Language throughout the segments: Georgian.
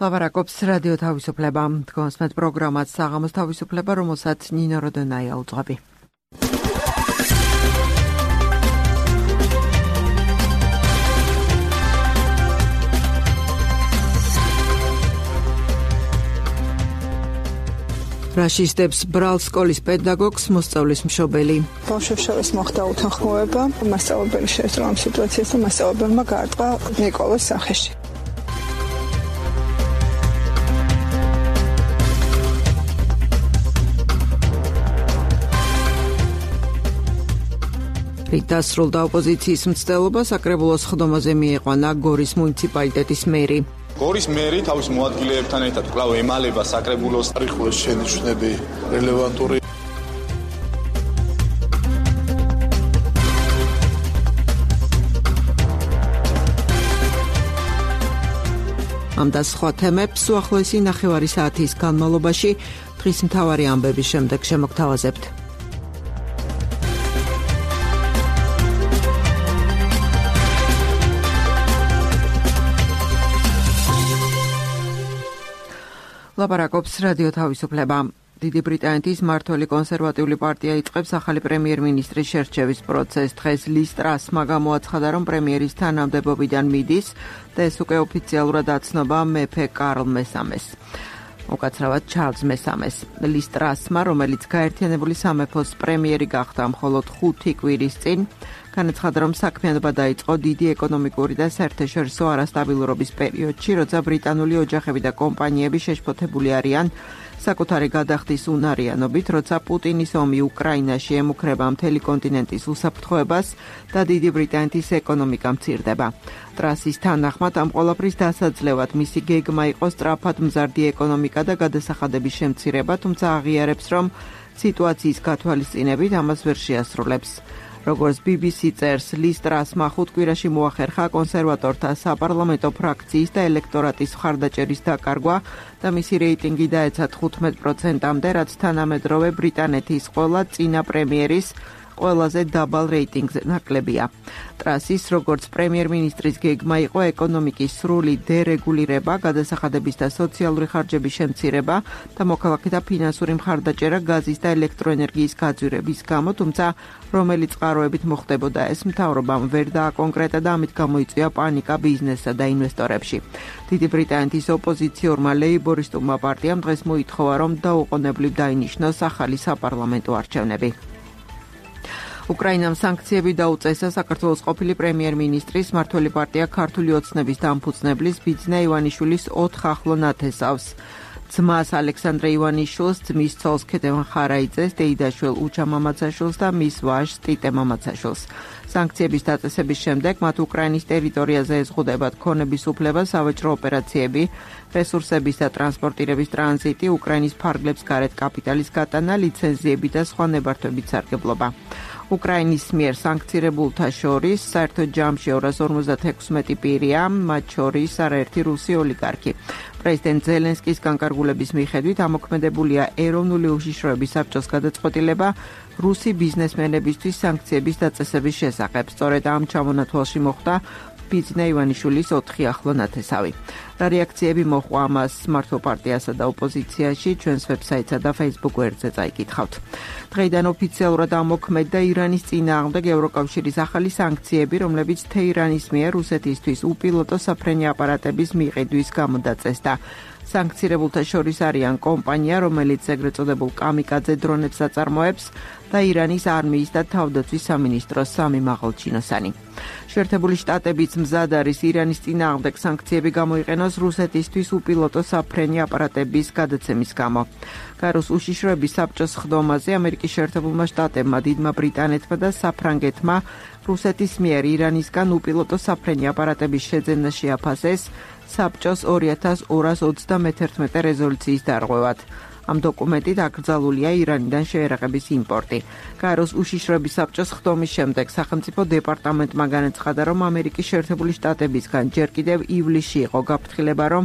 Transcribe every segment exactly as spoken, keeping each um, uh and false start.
ლაპარაკობს რადიო თავისუფლება. თქვენს მეტ პროგრამად საღამოს თავისუფლება, რომელსაც ნინო როდონაია უძღვები. რაშისტებს ბრალს სკოლის პედაგოგს მოსწავლის მშობელი. ბავშვებს მოხდა უთანხმოება, მასწავლებელი შეესწრო ამ სიტუაციას და მასწავლებელმა გაარტყა ნიკოლოს სახეში. დასრულდა ოპოზიციის მცდელობა, საკრებულოს ხდომაზე მიიყვანა გორის მუნიციპალიტეტის მერი. გორის მერი თავის მოადგილეებთან ერთად კვლავ ემალება საკრებულოს არიხულოს შენიშვნები რელევანტური. ამ და სხვა თემებს უახლოესი ნახევარი საათის განმავლობაში დღის მთავარი ამბების შემდეგ შემოგთავაზებთ. ლაპარაკობს რადიო თავისუფლება. დიდი ბრიტანეთის მმართველი კონსერვატიული პარტია იწყებს ახალი პრემიერ-მინისტრის შერჩევის პროცესს. დღეს ლის ტრასმა გამოაცხადა, რომ პრემიერის თანამდებობიდან მიდის და ეს უკვე ოფიციალურად აცნობა მეფე კარლ მესამეს. უკაცრავად ჩარლზ მესამეს. ლის ტრასმა, რომელიც გაერთიანებული სამეფოს პრემიერი გახდა მხოლოდ ხუთი კვირის წინ, განაცხადა, რომ საქმიანობა დაიწყო დიდი ეკონომიკური და საერთაშორისო არასტაბილურობის პერიოდში, როცა ბრიტანული ოჯახები და კომპანიები შეშფოთებული არიან საკუთარი გადახდის უნარიანობით, როცა პუტინის ომი უკრაინაში ემუქრება მთელი კონტინენტის უსაფრთხოებას და დიდი ბრიტანეთის ეკონომიკა მცირდება. ტრასის თანახმად ამ ყველაფრის დასაძლევად მისი გეგმა იყო სწრაფად მზარდი ეკონომიკა და გადასახადების შემცირება, თუმცა აღიარებს, რომ სიტუაციის გათვალისწინებით ამას ვერ შეასრულებს. როგორც ბი ბი სი წერს, ლის ტრასმა ხუთ კვირაში მოახერხა კონსერვატორთა საპარლამენტო ფრაქციის და ელექტორატის მხარდაჭერის დაკარგვა და მისი რეიტინგი დაეცა თხუთმეტ პროცენტამდე, რაც თანამედროვე ბრიტანეთის ყველა წინა პრემიერის ყველაზე დაბალ რეიტინგზე ნაკლებია. ტრასის როგორც პრემიერ-მინისტრის გეგმა იყო ეკონომიკის სრული დერეგულირება, გადასახადების და სოციალური ხარჯების შემცირება და მოქალაქეთა ფინანსური მხარდაჭერა გაზის და ელექტროენერგიის გაძვირების გამო, თუმცა რომელი წყაროებით მოხდებოდა ეს, მთავრობამ ვერ დააკონკრეტა და ამით გამოიწვია პანიკა ბიზნესსა და ინვესტორებში. დიდი ბრიტანეთის ოპოზიციურმა ლეიბორისტულმა პარტიამ დღეს მოითხოვა, რომ დაუყოვნებლივ დაინიშნოს ახალი საპარლამენტო არჩევნები. უკრაინამ სანქციები დაუწესა საქართველოს ყოფილი პრემიერ-მინისტრის მმართველი პარტია ქართული ოცნების დამფუძნებლის ბიძინა ივანიშვილის ოთხ ახლო ნათესავს. ძმას ალექსანდრე ივანიშვილს, ძმის ცოლს ქეთევან ხარაიძეს, დეიდაშვილ უჩა მამაცაშვილს და მის ვაჟს ტიტე მამაცაშვილს. სანქციების დაწესების შემდეგ მათ უკრაინის ტერიტორიაზე ეზღუდებათ ქონების უფლება, სავაჭრო ოპერაციები, რესურსების და ტრანსპორტირების ტრანზიტი, უკრაინის ფარგლებს გარეთ კაპიტალის გატანა, ლიცენზიები და სხვა ნებართვებით სარგებლობა. უკრაინის მიერ სანქცირებულთა შორის საერთო ჯამში ორას ორმოცდაექვსმეტი პირია, მათ შორის არაერთი რუსი ოლიგარქი. პრეზიდენტ ზელენსკის განკარგულების მიხედვით ამოქმედებულია ეროვნული უშიშროების საბჭოს გადაწყვეტილება რუსი ბიზნესმენებისთვის სანქციების დაწესების შესახებ. სწორედ ამ ჩამონათვალში მოხვდა ბიძინა ივანიშვილის ოთხი ახლო ნათესავი. რა რეაქციები მოჰყვა ამას მართლ პარტიასა და ოპოზიციაში, ჩვენს ვებსაიტსა და Facebook გვერდზე წაიკითხავთ. დღეიდან ოფიციალურად ამოქმედდა ირანის წინააღმდეგ ევროკავშირის ახალი სანქციები, რომლებიც თეირანის მიერ რუსეთისთვის უპილოტო საფრენი აპარატების მიყიდვის გამო დაწესდა. სანქცირებულთა შორის არიან კომპანია, რომელიც ეგრეთ წოდებულ კამიკაძე დრონებს აწარმოებს და ირანის არმიის და თავდაცვის სამინისტროს სამი მაღალჩინოსანი. შეერთებული შტატებიც მზად არის ირანის წინააღმდეგ სანქციები გამოიყენოს რუსეთისთვის უპილოტო საფრენი აპარატების გადაცემის გამო. გაროს უშიშროების საბჭოს ხდომაზე ამერიკის შეერთებულმა შტატებმა, დიდმა ბრიტანეთმა და საფრანგეთმა რუსეთის მიერ ირანისგან უპილოტო საფრენი აპარატების შეძენა შეაფასეს საბჭოს ორი ათას ორას ოცდამეთერთმეტე რეზოლუციის დარღვევად. ამ დოკუმენტით აკრძალულია ირანიდან შეერაღების იმპორტი. გაეროს უშიშროების საბჭოს ხდომის შემდეგ სახელმწიფო დეპარტამენტმა განაცხადა, რომ ამერიკის შეერთებული შტატებისგან ჯერ კიდევ ივლისში იყო გაფრთხილება, რომ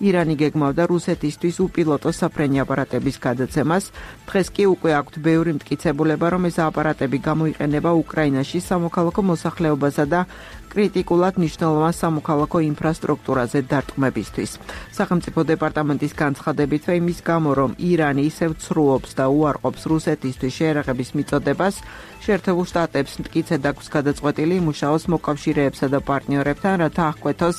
ირანი გეგმავდა რუსეთისთვის უპილოტო საფრენი აპარატების გადაცემას. დღეს კი უკვე აქვთ ბევრი მტკიცებულება, რომ ეს აპარატები გამოიყენება უკრაინაში სამოქალაქო მოსახლეობასა და კრიტიკულად მნიშვნელოვან სამოქალაქო ინფრასტრუქტურაზე დარტყმებისთვის. სახელმწიფო დეპარტამენტის განცხადებითვე იმის გამო, რომ ირანი ისევ ცრუობს და უარყოფს რუსეთისთვის შეერაღების მიწოდებას, შეერთებულ შტატებს მტკიცედ აქვს გადაწყვეტილი იმუშაოს მოკავშირეებსა და პარტნიორებთან, რათა აღკვეთოს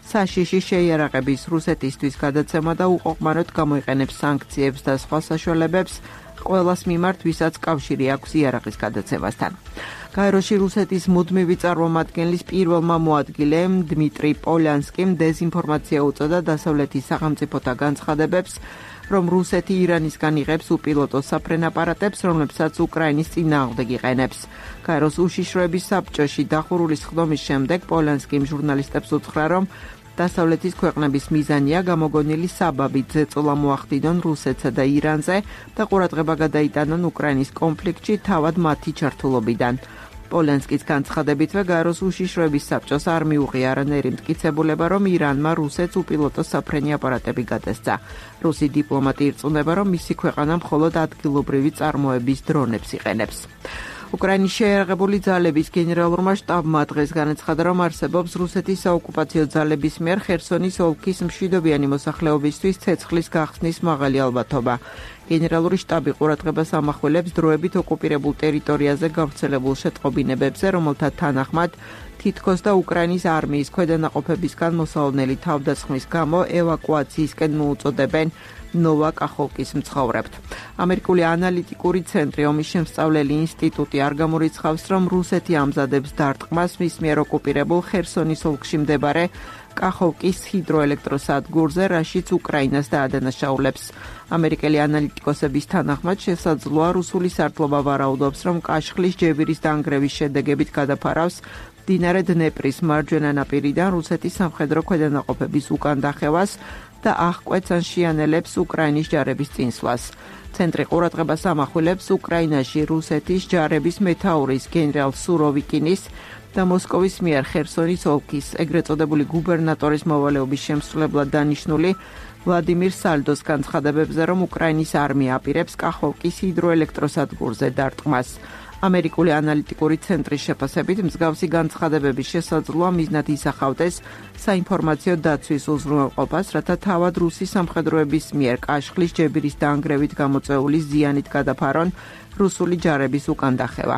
საშიში შეიარაღების რუსეთისთვის გადაცემა და უყოყმანოდ გამოიყენებს სანქციებს და სხვა საშუალებებს ყველას მიმართ, ვისაც კავშირი აქვს იარაღის გადაცემასთან. გაეროში რუსეთის მუდმივი წარმომადგენლის პირველმა მოადგილემ დმიტრი პოლიანსკიმ დეზინფორმაცია უწოდა დასავლეთის სახელმწიფოთა განცხადებებს, რომ რუსეთი ირანისგან იღებს უპილოტო საფრენ-აპარატებს, რომლებსაც უკრაინის წინააღმდეგ იყენებს. გაეროს უშიშროების საბჭოში დახურული ხდომის შემდეგ პოლიანსკიმ ჟურნალისტებს უთხრა, რომ დასავლეთის ქვეყნების მიზანია გამოგონილი საბაბით ზეწოლა მოახდინონ რუსეთსა და ირანზე და ყურადღება გადაიტანონ უკრაინის კონფლიქტში თავად მათი ჩართულობიდან. პოლიანსკის განცხადებითვე გაეროს უშიშროების საბჭოს არ მიუღია არანაირი მტკიცებულება, რომ ირანმა რუსეთს უპილოტო საფრენი აპარატები გადასცა. რუსი დიპლომატი ირწმუნება, რომ მისი ქვეყანა მხოლოდ ადგილობრივი წარმოების დრონებს იყენებს. უკრაინის შეიარაღებული ძალების გენერალურმა შტაბმა დღეს განაცხადა, რომ არსებობს რუსეთის საოკუპაციო ძალების მიერ ხერსონის ოლქის მშვიდობიანი მოსახლეობისთვის ცეცხლის გახსნის მაღალი ალბათობა. გენერალური შტაბი ყურადღებას ამახვილებს დროებით ოკუპირებულ ტერიტორიაზე გავრცელებულ შეტყობინებებზე, რომელთა თანახმად თითქოს და უკრაინის არმიის ქვედანაყოფებისგან მოსალოდნელი თავდასხმის გამო ევაკუაციისკენ მოუწოდებენ ნოვა კახოვკის მცხოვრებთ. ამერიკული ანალიტიკური ცენტრი ომის შემსწავლელი ინსტიტუტი არ გამორიცხავს, რომ რუსეთი ამზადებს დარტყმას მის მიერ ოკუპირებულ ხერსონის ოლქში მდებარე კახოვკის ჰიდროელექტროსადგურზე, რაშიც უკრაინას დაადანაშაულებს. ამერიკელი ანალიტიკოსების თანახმად შესაძლოა რუსული სარდლობა ვარაუდობს, რომ კაშხლის ჯებირის დანგრევის შედეგებით გადაფარავს მდინარე დნეპრის მარჯვენა ნაპირიდან რუსეთის სამხედრო ქვედანაყოფების უკან დახევას და აღკვეთს ან შეანელებს უკრაინის ჯარების წინსვლას. ცენტრი ყურადღებას ამახვილებს უკრაინაში რუსეთის ჯარების მეთაურის გენერალ სუროვიკინის და მოსკოვის მიერ ხერსონის ოლქის ეგრეთ წოდებული გუბერნატორის მოვალეობის შემსრულებლად დანიშნული ვლადიმირ სალდოს განცხადებებზე, რომ უკრაინის არმია აპირებს კახოვკის ჰიდროელექტროსადგურზე დარტყმას. ამერიკული ანალიტიკური ცენტრის შეფასებით მსგავსი განცხადებების შესაძლოა მიზნად ისახავდეს საინფორმაციო დაცვის უზრუნველყოფას, რათა თავად რუსი სამხედროების მიერ კაშხლის ჯებირის დანგრევით გამოწვეული ზიანით გადაფარონ რუსული ჯარების უკან დახევა.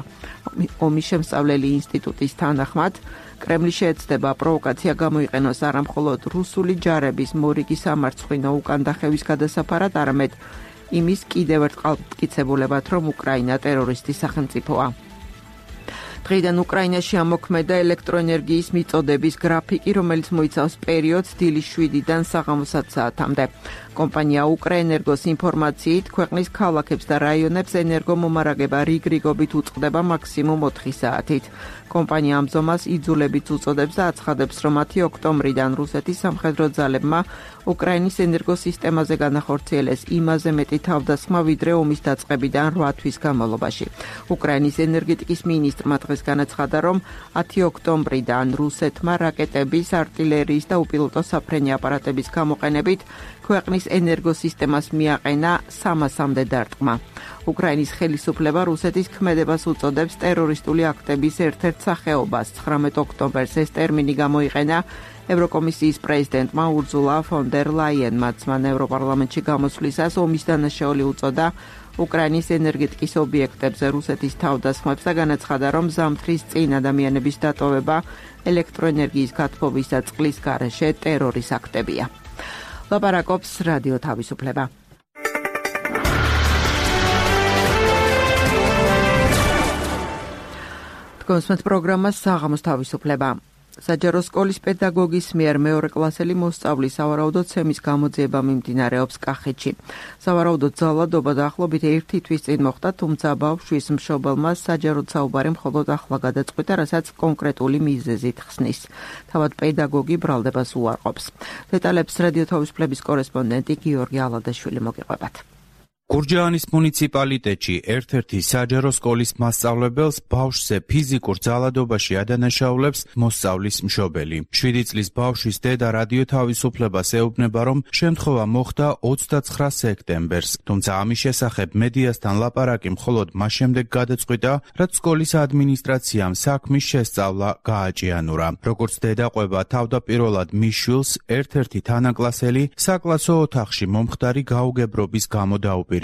ომის შემსწავლელი ინსტიტუტის თანახმად, კრემლი შეეცდება პროვოკაცია გამოიყენოს არა მხოლოდ რუსული ჯარების მორიგი სამარცხვინო უკან დახევის გადასაფარად, არამედ იმის კიდევ ერთხელ მტკიცებულებად, რომ უკრაინა ტერორისტის სახელმწიფოა. დღეიდან უკრაინაში ამოქმედა ელექტროენერგიის მიწოდების გრაფიკი, რომელიც მოიცავს პერიოდს დილის შვიდიდან საღამოს ათ საათამდე. კომპანია უკრაენერგოს ინფორმაციით, ქვეყნის ქალაქებს და რაიონებს ენერგომომარაგება რიგ-რიგობით უწყდება მაქსიმუმ ოთხი საათით. კომპანია ამ ზომას იძულებით უწოდებს და აცხადებს, რომ მათი ოქტომბრიდან რუსეთის სამხედრო ძალებმა უკრაინის ენერგოსისტემაზე განახორციელეს იმაზე მეტი თავდასხმა, ვიდრე ომის დაწყებიდან რვა თვის განმავლობაში. უკრაინის ენერგეტიკის მინისტრმა დღეს განაცხადა, რომ ათი ოქტომბრიდან რუსეთმა რაკეტების, артиლერიის და უპილოტო საფრენი აპარატების გამოყენებით ქვეყნის ენერგოსისტემას მიაყენა სამასამდე დარტყმა. უკრაინის ხელისუფლება რუსეთის ქმედებას უწოდებს ტერორისტული აქტების ერთ-ერთ სახეობას. ცხრამეტ ოქტომბერს ეს ტერმინი გამოიყენა ევროკომისიის პრეზიდენტმა ურზულა ფონ დერ ლაიენმა. მან ევროპარლამენტში გამოსვლისას ომის დანაშაული უწოდა უკრაინის ენერგეტიკის ობიექტებზე რუსეთის თავდასხმებს და განაცხადა, რომ ზამთრის წინ ადამიანების დატოვება ელექტროენერგიის გათბობის და წყლის გარეშე ტერორის აქტებია. ლაპარაკობს რადიო თავისუფლება. კონსმეთ პროგრამა საღამოს თავისუფლება. საჯარო სკოლის პედაგოგის მიერ მეორე კლასელი მოსწავლის სავარაუდოდ ცემის გამოძიება მიმდინარეობს კახეთში. სავარაუდოდ ძალადობა დაახლოებით ერთი თვის წინ მოხდა, თუმცა ბავშვის მშობელმა საჯაროდ საუბარი მხოლოდ ახლა გადაწყვიტა, რასაც კონკრეტული მიზეზით ხსნის. თავად პედაგოგი ბრალდებას უარყოფს. დეტალებს რადიო თავისუფლების კორესპონდენტი გიორგი ალადაშვილი მოგიყვებათ. გურჯაანის მუნიციპალიტეტში ერთ-ერთი საჯარო სკოლის მასწავლებელს ბავშვზე ფიზიკურ ძალადობაში ადანაშაულებს მოსწავლის მშობელი. შვიდი წლის ბავშვის დედა რადიო თავისუფლებას ეუბნება, რომ შემთხვევა მოხდა ოცდაცხრა სექტემბერს, თუმცა ამის შესახებ მედიასთან ლაპარაკი მხოლოდ მას შემდეგ გადაწყვიტა, რაც სკოლის ადმინისტრაციამ საქმის შესწავლა გააჭიანურა. როგორც დედა ყვება, თავდაპირველად მის შვილს ერთ-ერთი თანაკლასელი საკლასო ოთახში მომხდარი გაუგებრობის გამო დაუპირისპირდა.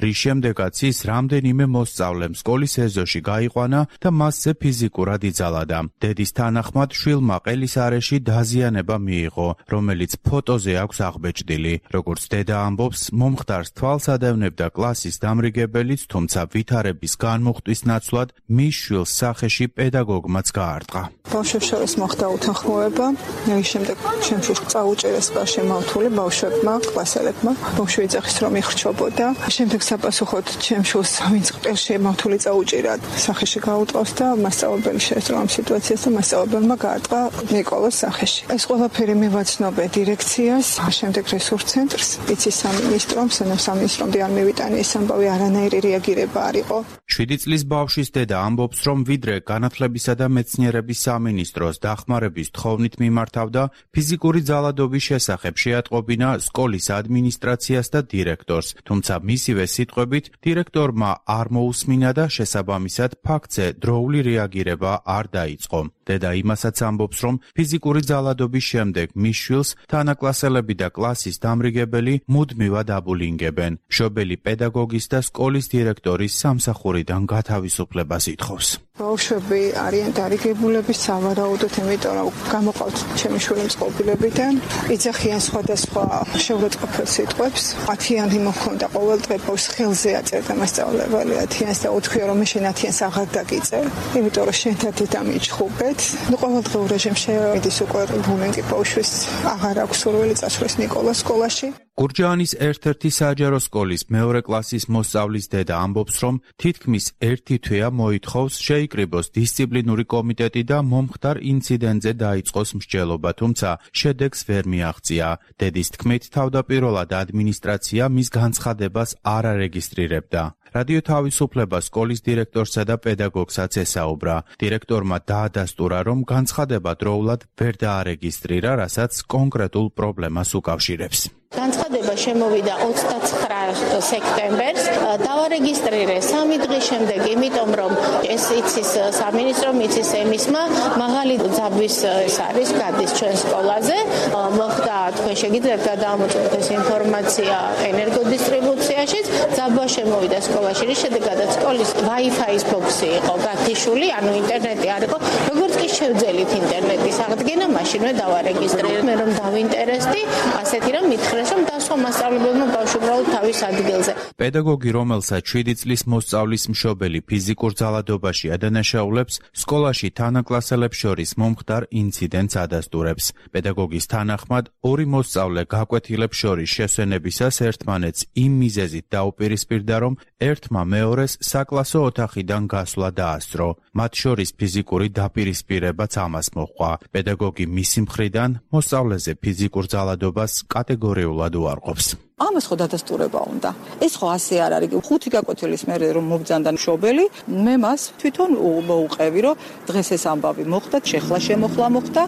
რის შემდეგაც ის რამდენიმე მოსწავლემ სკოლის ეზოში გაიყვანა და მასზე ფიზიკურად იძალადა. დედის თანახმად შვილმა ყელის არეში დაზიანება მიიღო, რომელიც ფოტოზე აქვს აღბეჭდილი. როგორც დედა ამბობს, მომხდარს თვალს ადევნებდა კლასის დამრიგებელიც, თუმცა ვითარების განმუხტვის ნაცვლად მის შვილს სახეში პედაგოგმაც გაარტყა. ბავშვებს შორის მოხდა უთანხმოება, რის შემდეგ შემთხვევით წაუჭერეს შემავთული ბავშვებმა, კლასელებმა. ბავშვი ეძახის რომ იხრჩობოდა. შემდეგ საპასუხოდ ჩემს შვილს ვინც ყელში შემავთული წაუჭირა სახეში გაუტყავს და მასწავლებელი შეესწრო ამ სიტუაციას და მასწავლებელმა გაარტყა ნიკოლოს სახეში. ეს ყველაფერი მივაცნობე დირექციას, შემდეგ რესურს ცენტრს, იცის სამინისტრომ, სამინისტრომდე არ მივიტანე ეს ამბავი, არანაირი რეაგირება არ იყო. შვიდი წლის ბავშვის დედა ამბობს, რომ ვიდრე განათლებისა და მეცნიერების სამინისტროს დახმარების თხოვნით მიმართავდა, ფიზიკური ძალადობის შესახებ შეატყობინა სკოლის ადმინისტრაციას და დირექტორს. თუმცა მისივე სიტყვებით დირექტორმა არ მოусმინა და შესაბამისად ფაქტზე დროული რეაგირება არ დაიწყო. დედა იმასაც ამბობს, რომ ფიზიკური ძალადობის შემდეგ მის შვილს თანაკლასელები და კლასის დამრიგებელი მუდმივად აბულინგებენ. მშობელი პედაგოგის და სკოლის დირექტორის სამსახურიდან გათავისუფლებას ითხოვს. ბავშვები არიან დარიგებულები სავარაუდოდ, იმიტომ რომ გამოყავთ ჩემი შვილი წყობილებიდან, იძახიან სხვადასხვა შეურაცხყოფელ სიტყვებს. ათიანი მოხონდა ყოველ დღე ბავშვს ხელზე აწერდა მასწავლებელი ათიანს და უთქვია რომ მე შენ ათიანს აღარ დაგიწერ, იმიტომ რომ შენ თათი დამიჩხუბეთ. ნუ ყოველდღიურ რეჟიმში მიდის უკვე ბულინგი ბავშვის, აღარ აქვს სურვილი წასვლის ნიკოლას სკოლაში. გურჯაანის ერთ-ერთი საჯარო სკოლის მეორე კლასის მოსწავლის დედა ამბობს, რომ თითქმის ერთი თვეა მოითხოვს შეიკრიბოს დისციპლინური კომიტეტი და მომხდარ ინციდენტზე დაიწყოს მსჯელობა, თუმცა შედეგს ვერ მიაღწია. დედის თქმით, თავდაპირველად ადმინისტრაცია მის განცხადებას არ არეგისტრირებდა. რადიო თავისუფლება სკოლის დირექტორსა და პედაგოგსაც ესაუბრა. დირექტორმა დაადასტურა, რომ განცხადება დროულად ვერ დაარეგისტრირა, რასაც კონკრეტულ პრობლემას უკავშირებს. განცხადება შემოვიდა ოცდაცხრა სექტემბერს, დავარეგისტრირე სამი დღის შემდეგ, იმიტომ რომ ეს იცის სამინისტრომ, იცის ემისმა, მაღალი ძაბვის ეს არის, გადის ჩვენ სკოლაზე. მოხდა, თქვენ შეგიძლიათ გადაამოწმოთ ეს ინფორმაცია ენერგოდისტრიბუციაში, ძაბვა შემოვიდა სკოლაში, რის შედეგადაც სკოლის Wi-Fi-ის ბოქსი იყო გათიშული, ანუ ინტერნეტი არ იყო. როგორც კი შევძელით ინტერნეტის აღდგენა, მაშინვე დავარეგისტრირე. მე რომ დავინტერესდი, ასეთი რომ მითხრეს რომ დასვა მასწავლებელმა ბავშვი უბრალოდ თავის ადგილზე. პედაგოგი, რომელსაც შვიდი წლის მოსწავლის მშობელი ფიზიკურ ძალადობაში ადანაშაულებს, სკოლაში თანაკლასელებს შორის მომხდარ ინციდენტს ადასტურებს. პედაგოგის თანახმად, ორი მოსწავლე გაკვეთილებს შორის შესვენებისას ერთმანეთს იმ მიზეზით დაუპირისპირდა, რომ ერთმა მეორეს საკლასო ოთახიდან გასვლა დაასწრო. მათ შორის ფიზიკური დაპირისპირებაც ამას მოჰყვა. პედაგოგი მისი მხრიდან მოსწავლეზე ფიზიკურ ძალადობას კატეგორიულად უარყოფს. ამას ხო დადასტურება უნდა. ეს ხო ასე არ არის. ხუთი გაკვეთილის მერე რომ მობძანდა მშობელი, მე მას თვითონ მოუყევი, რომ დღეს ეს ამბავი მოხდა, შეხლა შემოხლა მოხდა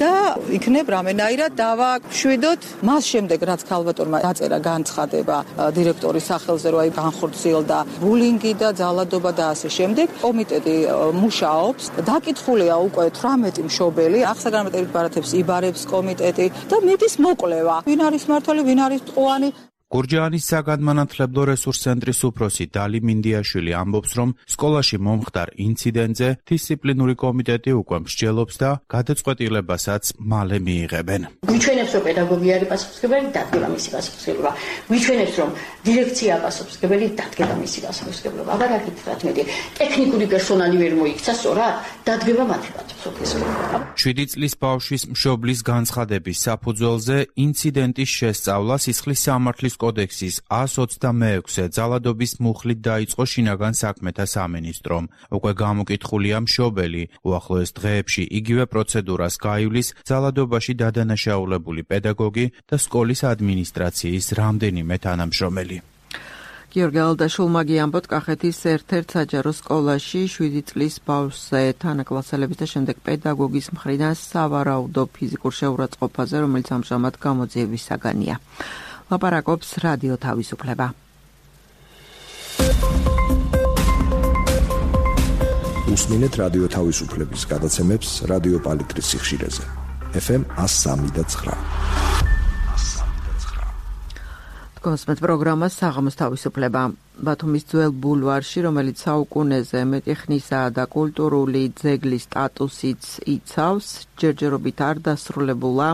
და იქნებ რამენაირად დავაშვიდოთ. მას შემდეგ რაც ქალბატონმა დაწერა განცხადება დირექტორის სახელზე, რომ აი განხორციელდა ბულინგი და ძალადობა და ასე შემდეგ, კომიტეტი მუშაობს. დაკითხულია უკვე თვრამეტი მშობელი, აღსაგანმანათლებლო ბარათებს იბარებს კომიტეტი და მიდის მოკვლევა. ვინ არის მართველი, ვინ არის ტყუანი? გურჯაანის საგანმანათლებლო რესურს ცენტრის უფროსი დალი მინდიაშვილი ამბობს, რომ სკოლაში მომხდარ ინციდენტზე დისციპლინური კომიტეტი უკვე მსჯელობს და გადაწყვეტილებასაც მალე მიიღებენ. გვიჩვენებს, რომ პედაგოგი არის პასუხისმგებელი, დადგება მისი პასუხისმგებლობა. გვიჩვენებს, რომ დირექცია პასუხისმგებელი, დადგება მისი პასუხისმგებლობა. აბა რა გითხრათ მეტი, ტექნიკური პერსონალი ვერ მოიქცა, სწორად, დადგება მათი პასუხისმგებლობა. შვიდი წლის ბავშვის მშობლის განცხადების საფუძველზე ინციდენტის შესწავლა სისხლის სამართლის კოდექსის ას ოცდამეექვსე ძალადობის მუხლით დაიწყო შინაგან საქმეთა სამინისტრომ. უკვე გამოკითხულია მშობელი. უახლოეს დღეებში იგივე პროცედურას გაივლის ძალადობაში დადანაშაულებული პედაგოგი და სკოლის ადმინისტრაციის რამდენიმე თანამშრომელი. გიორგი ალდაშულმა გიამბოთ კახეთის ერთ-ერთ საჯარო სკოლაში შვიდი წლის ბავშვზე თანაკლასელების და შემდეგ პედაგოგის მხრიდან სავარაუდო ფიზიკურ შეურაცხყოფაზე, რომელიც ამჟამად გამოძიების საგანია. ლაპარაკობს რადიო თავისუფლება. უსმინეთ რადიო თავისუფლების გადაცემებს რადიო პალიტრის სიხშირეზე. ეფ ემ one oh three point nine. კონსმეთ პროგრამა საღამოს თავისუფლება. ბათუმის ძველ ბულვარში, რომელიც საუკუნეზე მეტი ხნისაა და კულტურული ძეგლის სტატუსიც იცავს, ჯერჯერობით არ დასრულებულა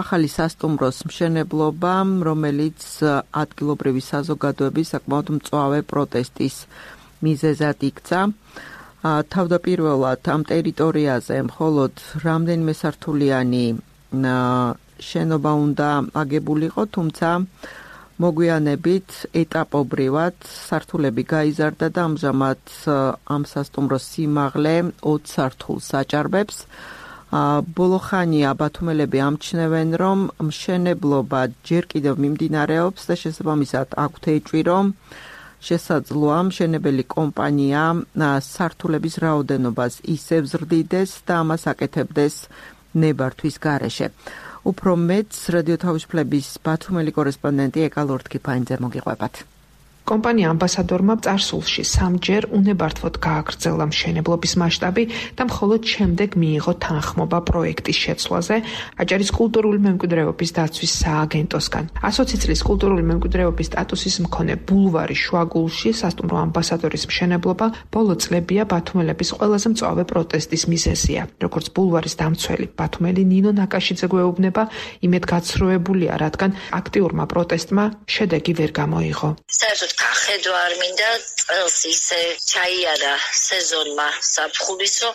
ახალი სასტუმროს მშენებლობა, რომელიც ადგილობრივი საზოგადოების საკმაოდ მწვავე პროტესტის მიზეზად იქცა. თავდაპირველად ამ ტერიტორიაზე მხოლოდ რამდენიმე სართულიანი შენობა უნდა აგებულიყო, თუმცა მოგვიანებით ეტაპობრივად სართულები გაიზარდა და ამჟამად ამ სასტუმროს სიმაღლე ოც სართულს აჭარბებს. ბოლო ხანია ბათუმელები ამჩნევენ, რომ მშენებლობა ჯერ კიდევ მიმდინარეობს და შესაბამისად აქვთ ეჭვი, რომ შესაძლოა მშენებელი კომპანია სართულების რაოდენობას ისევ ზრდიდეს და ამას აკეთებდეს ნებართვის გარეშე. უფრო მეტს რადიო თავისუფლების ბათუმელი კორესპონდენტი ეკა ლორთქიფაინძე მოგიყვებათ. კომპანია ამბასადორმა წარსულში სამჯერ უნებართვოდ გააგრძელა მშენებლობის მასშტაბი და მხოლოდ შემდეგ მიიღო თანხმობა პროექტის შეცვლაზე აჭარის კულტურული მემკვიდრეობის დაცვის სააგენტოსგან. ასოცი წლის კულტურული მემკვიდრეობის სტატუსის მქონე ბულვარი შუაგულში სასტუმრო ამბასადორის მშენებლობა ბოლო წლებია ბათუმელების ყველაზე მწვავე პროტესტის მიზეზია. როგორც ბულვარის დამცველი ბათუმელი ნინო ნაკაშიძე გვეუბნება, იმედგაცრუებულია, რადგან აქტიურმა პროტესტმა შედეგი ვერ გამოიღო. გახედვა არ მინდა, წელს ისე ჩაიარა სეზონმა საფხულისო,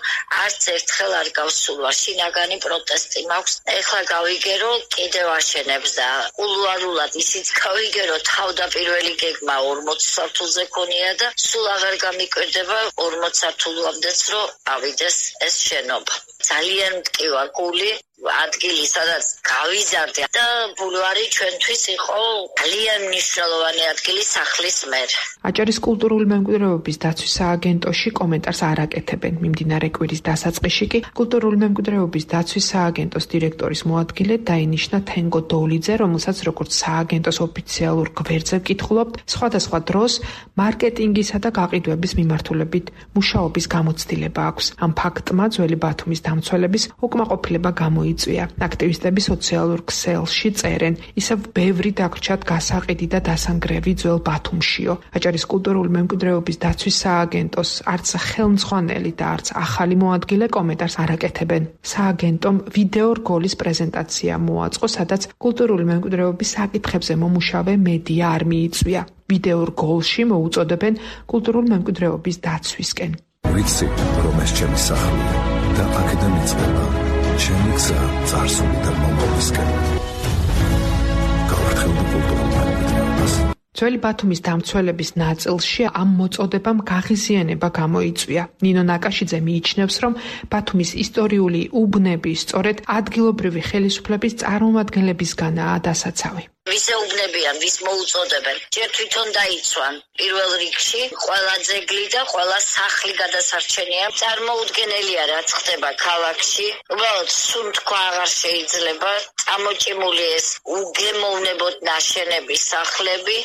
არც ერთხელ არ გავსულვარ, შინაგანი პროტესტი მაქვს. ეხლა გავიგე, რომ კიდევ აშენებს და კულუარულად ისიც გავიგე, რომ თავდაპირველი გეგმა ორმოც სართულზე ქონია და სულ აღარ გამიკვირდება ორმოც სართულამდეც, რომ ავიდეს ეს შენობა. ძალიან მტკივა გული, ადგილი სადაც გავიზარდე და ბულვარი ჩვენთვის იყო ძალიან მნიშვნელოვანი ადგილი სახლის მერ. აჭარის კულტურული მემკვიდრეობის დაცვის სააგენტოში კომენტარს არ აკეთებენ. მიმდინარე კვირის დასაწყისში კი კულტურული მემკვიდრეობის დაცვის სააგენტოს დირექტორის მოადგილე დაინიშნა თენგო დოლიძე, რომელსაც როგორც სააგენტოს ოფიციალურ გვერდზე ვკითხულობთ, სხვადასხვა დროს მარკეტინგისა და გაყიდვების მიმართულებით მუშაობის გამოცდილება აქვს. ამ ფაქტმა ძველი ბათუმის დამცველების უკმაყოფილება გამოიწვია. აქტივისტები სოციალურ ქსელში წერენ, ისევ ბევრი დაგრჩათ გასაყიდი და დასანგრევი ძველ ბათუმშიო. აჭარის კულტურული მემკვიდრეობის დაცვის სააგენტოს არც ხელმძღვანელი და არც ახალი მოადგილე კომენტარს არ აკეთებენ. სააგენტომ ვიდეო რგოლის პრეზენტაცია მოაწყო, სადაც კულტურული მემკვიდრეობის საკითხებზე მომუშავე მედია არ მიიწვია. ვიდეო რგოლში მოუწოდებენ კულტურული მემკვიდრეობის დაცვისკენ. ვიცი, რომ ეს ჩემი სახლია და აქედან იწყება ჩემი გზა წარსულიდან მომავალისკენ. გავარცხევდი კულტურულ მემკვიდრეობას. ძველი ბათუმის დამცველების ნაწილში ამ მოწოდებამ გაღიზიანება გამოიწვია. ნინო ნაკაშიძე მიიჩნევს, რომ ბათუმის ისტორიული უბნები სწორედ ადგილობრივი ხელისუფლების წარმომადგენლებისგანაა დასაცავი. ვის ეუბნებიან, ვის მოუწოდებენ, ჯერ თვითონ დაიცვან. პირველ რიგში ყველა ძეგლი და ყველა სახლი გადასარჩენია. წარმოუდგენელია, რაც ხდება ქალაქში. უბრალოდ სულ თქვა აღარ შეიძლება. წამოჭიმული ეს უგემოვნებოდ ნაშენები სახლები,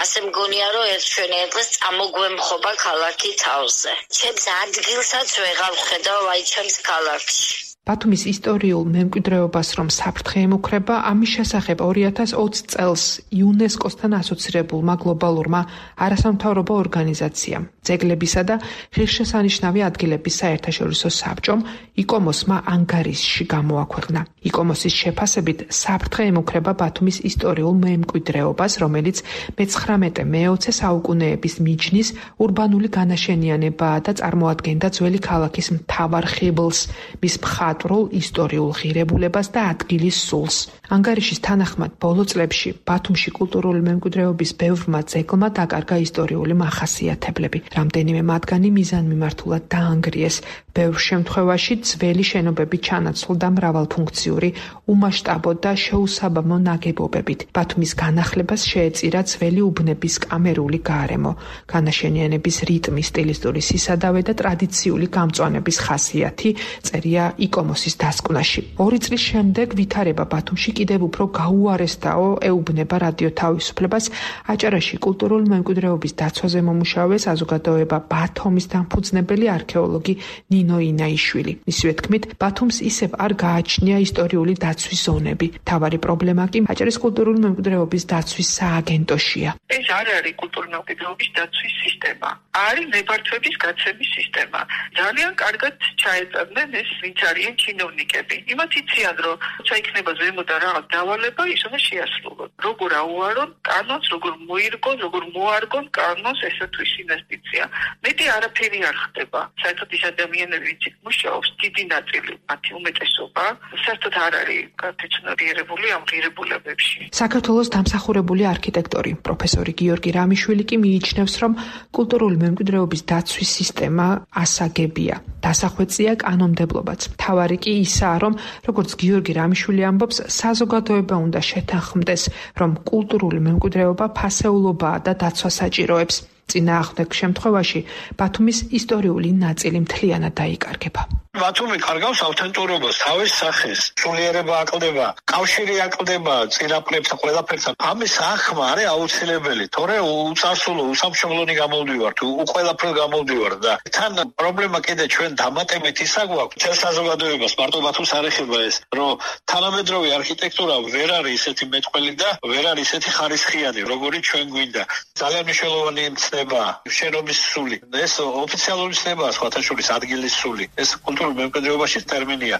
ასე მგონია, რომ ერთ ჩვენი დღეს წამოგვემხობა ქალაქი თავზე. ჩემს ადგილსაც ვეღარ ვხედავ აი ჩემს ქალაქში. ბათუმის ისტორიულ მემკვიდრეობას რომ საფრთხე ემუქრება, ამის შესახებ ორი ათას ოცი წელს იუნესკოსთან ასოცირებულმა გლობალურმა არასამთავრობო ორგანიზაციამ, ძეგლებისა და ღირსშესანიშნავი ადგილების საერთაშორისო საბჭომ იკომოსმა ანგარიშში გამოაქვეყნა. იკომოსის შეფასებით საფრთხე ემუქრება ბათუმის ისტორიულ მემკვიდრეობას, რომელიც მეცხრამეტე მეოცე საუკუნეების მიჯნის урბანული განაშენიანებაა და წარმოადგენდა ძველი ქალაქის მთავარ ხიბლს, მის მხატ მხატვრულ ისტორიულ ღირებულებას და ადგილის სულს. ანგარიშის თანახმად ბოლო წლებში ბათუმში კულტურული მემკვიდრეობის ბევრმა ძეგლმა დაკარგა ისტორიული მახასიათებლები. რამდენიმე მათგანი მიზანმიმართულად დაანგრიეს. ბევრ შემთხვევაში ძველი შენობები ჩანაცვლდა მრავალფუნქციური, უმასშტაბო და შეუსაბამო ნაგებობებით. ბათუმის განახლებას შეეწირა ძველი უბნების კამერული გარემო, განაშენიანების რიტმი, სტილისტური სისადავე და ტრადიციული გამწვანების ხასიათი, წერია იკომოსის დასკვნაში. ორი წლის შემდეგ ვითარება ბათუმში კიდევ უფრო გაუარესდაო ეუბნება რადიო თავისუფლებას. აჭარაში კულტურული მემკვიდრეობის დაცვაზე მომუშავე საზოგადოება ბათუმის დამფუძნებელი არქეოლოგი ნინო ინაიშვილი. მისივე თქმით, ბათუმს ისევ არ გააჩნია ისტორიული დაცვის ზონები. მთავარი პრობლემა კი აჭარის კულტურული მემკვიდრეობის დაცვის სააგენტოშია. ეს არ არის კულტურული მემკვიდრეობის დაცვის სისტემა. არის ნებართვების გაცემის სისტემა. ძალიან კარგად ჩაეწევდნენ ეს ვინც არიან ჩინოვნიკები. იმათ იციან, რომ როცა იქნება ზემოდან რაღაც დავალება, ის უნდა შეასრულონ. როგორ აუარონ კანონს, როგორ მოირგონ, როგორ მოარგონ კანონს, ესა თუ ის ინვესტიცია. მეტი არაფერი არ ხდება. საერთოდ ის ადამიანები, ვინც მუშაობს, დიდი ნაწილი, მათი უმეტესობა, საერთოდ არ არის გათეცნობიერებული ამ ღირებულებებში. საქართველოს დამსახურებული არქიტექტორი პროფესორი გიორგი რამიშვილი კი მიიჩნევს, რომ კულტურული მემკვიდრეობის დაცვის სისტემა ასაგებია. დასახვეწია კანონმდებლობაც. მთავარი კი ისაა, რომ როგორც გიორგი რამიშვილი ამბობს, საზოგადოება უნდა შეთანხმდეს, რომ კულტურული მემკვიდრეობა ფასეულობაა და დაცვა საჭიროებს. წინააღმდეგ შემთხვევაში ბათუმის ისტორიული ნაწილი მთლიანად დაიკარგება. ბათუმი კარგავს ავთენტურობას, თავის სახეს, სულიერება აკლდება, კავშირი აკლდება წინაპრებს და ყველაფერსა. ამის ახმა არის აუცილებელი, თორე უწარსულო, უსამშობლონი გამოვდივართ, უყველაფრ გამოვდივართ და თან პრობლემა კიდე ჩვენ დამატებით ისა გვაქვს, წელ საზოგადოებას მარტო ბათუმს არ ეხება ეს, რომ თანამედროვე არქიტექტურა ვერ არის ისეთი მეტყველი და ვერ არის ისეთი ხარისხიანი, როგორიც ჩვენ გვინდა. ძალიან მნიშვნელოვანი ცნება, შენობის სული. ეს ოფიციალური ცნებაა, სხვათა შორის ადგილის სული. ეს კულტურულ მემკვიდრეობაში ტერმინია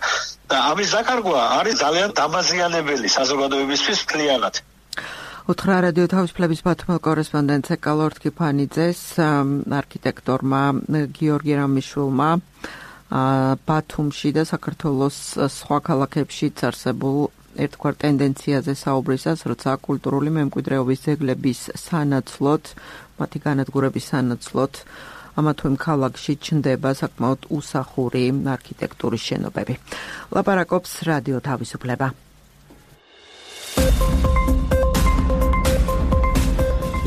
და ამის დაკარგვა არის ძალიან დამაზიანებელი საზოგადოებისთვის მთლიანად. უთხრა რადიო თავისუფლების ბათუმელ კორესპონდენტს ეკალორთკი ფანიძეს, არქიტექტორმა გიორგი რამიშვილმა ბათუმში და საქართველოს სხვა ქალაქებშიც არსებულ ერთგვარ ტენდენციაზე საუბრისას, როცა კულტურული მემკვიდრეობის ძეგლების სანაცვლოდ, მათი განადგურების სანაცვლოდ ამა თუ იმ ქალაქში ჩნდება საკმაოდ უსახური არქიტექტურის შენობები. ლაპარაკობს რადიო თავისუფლება.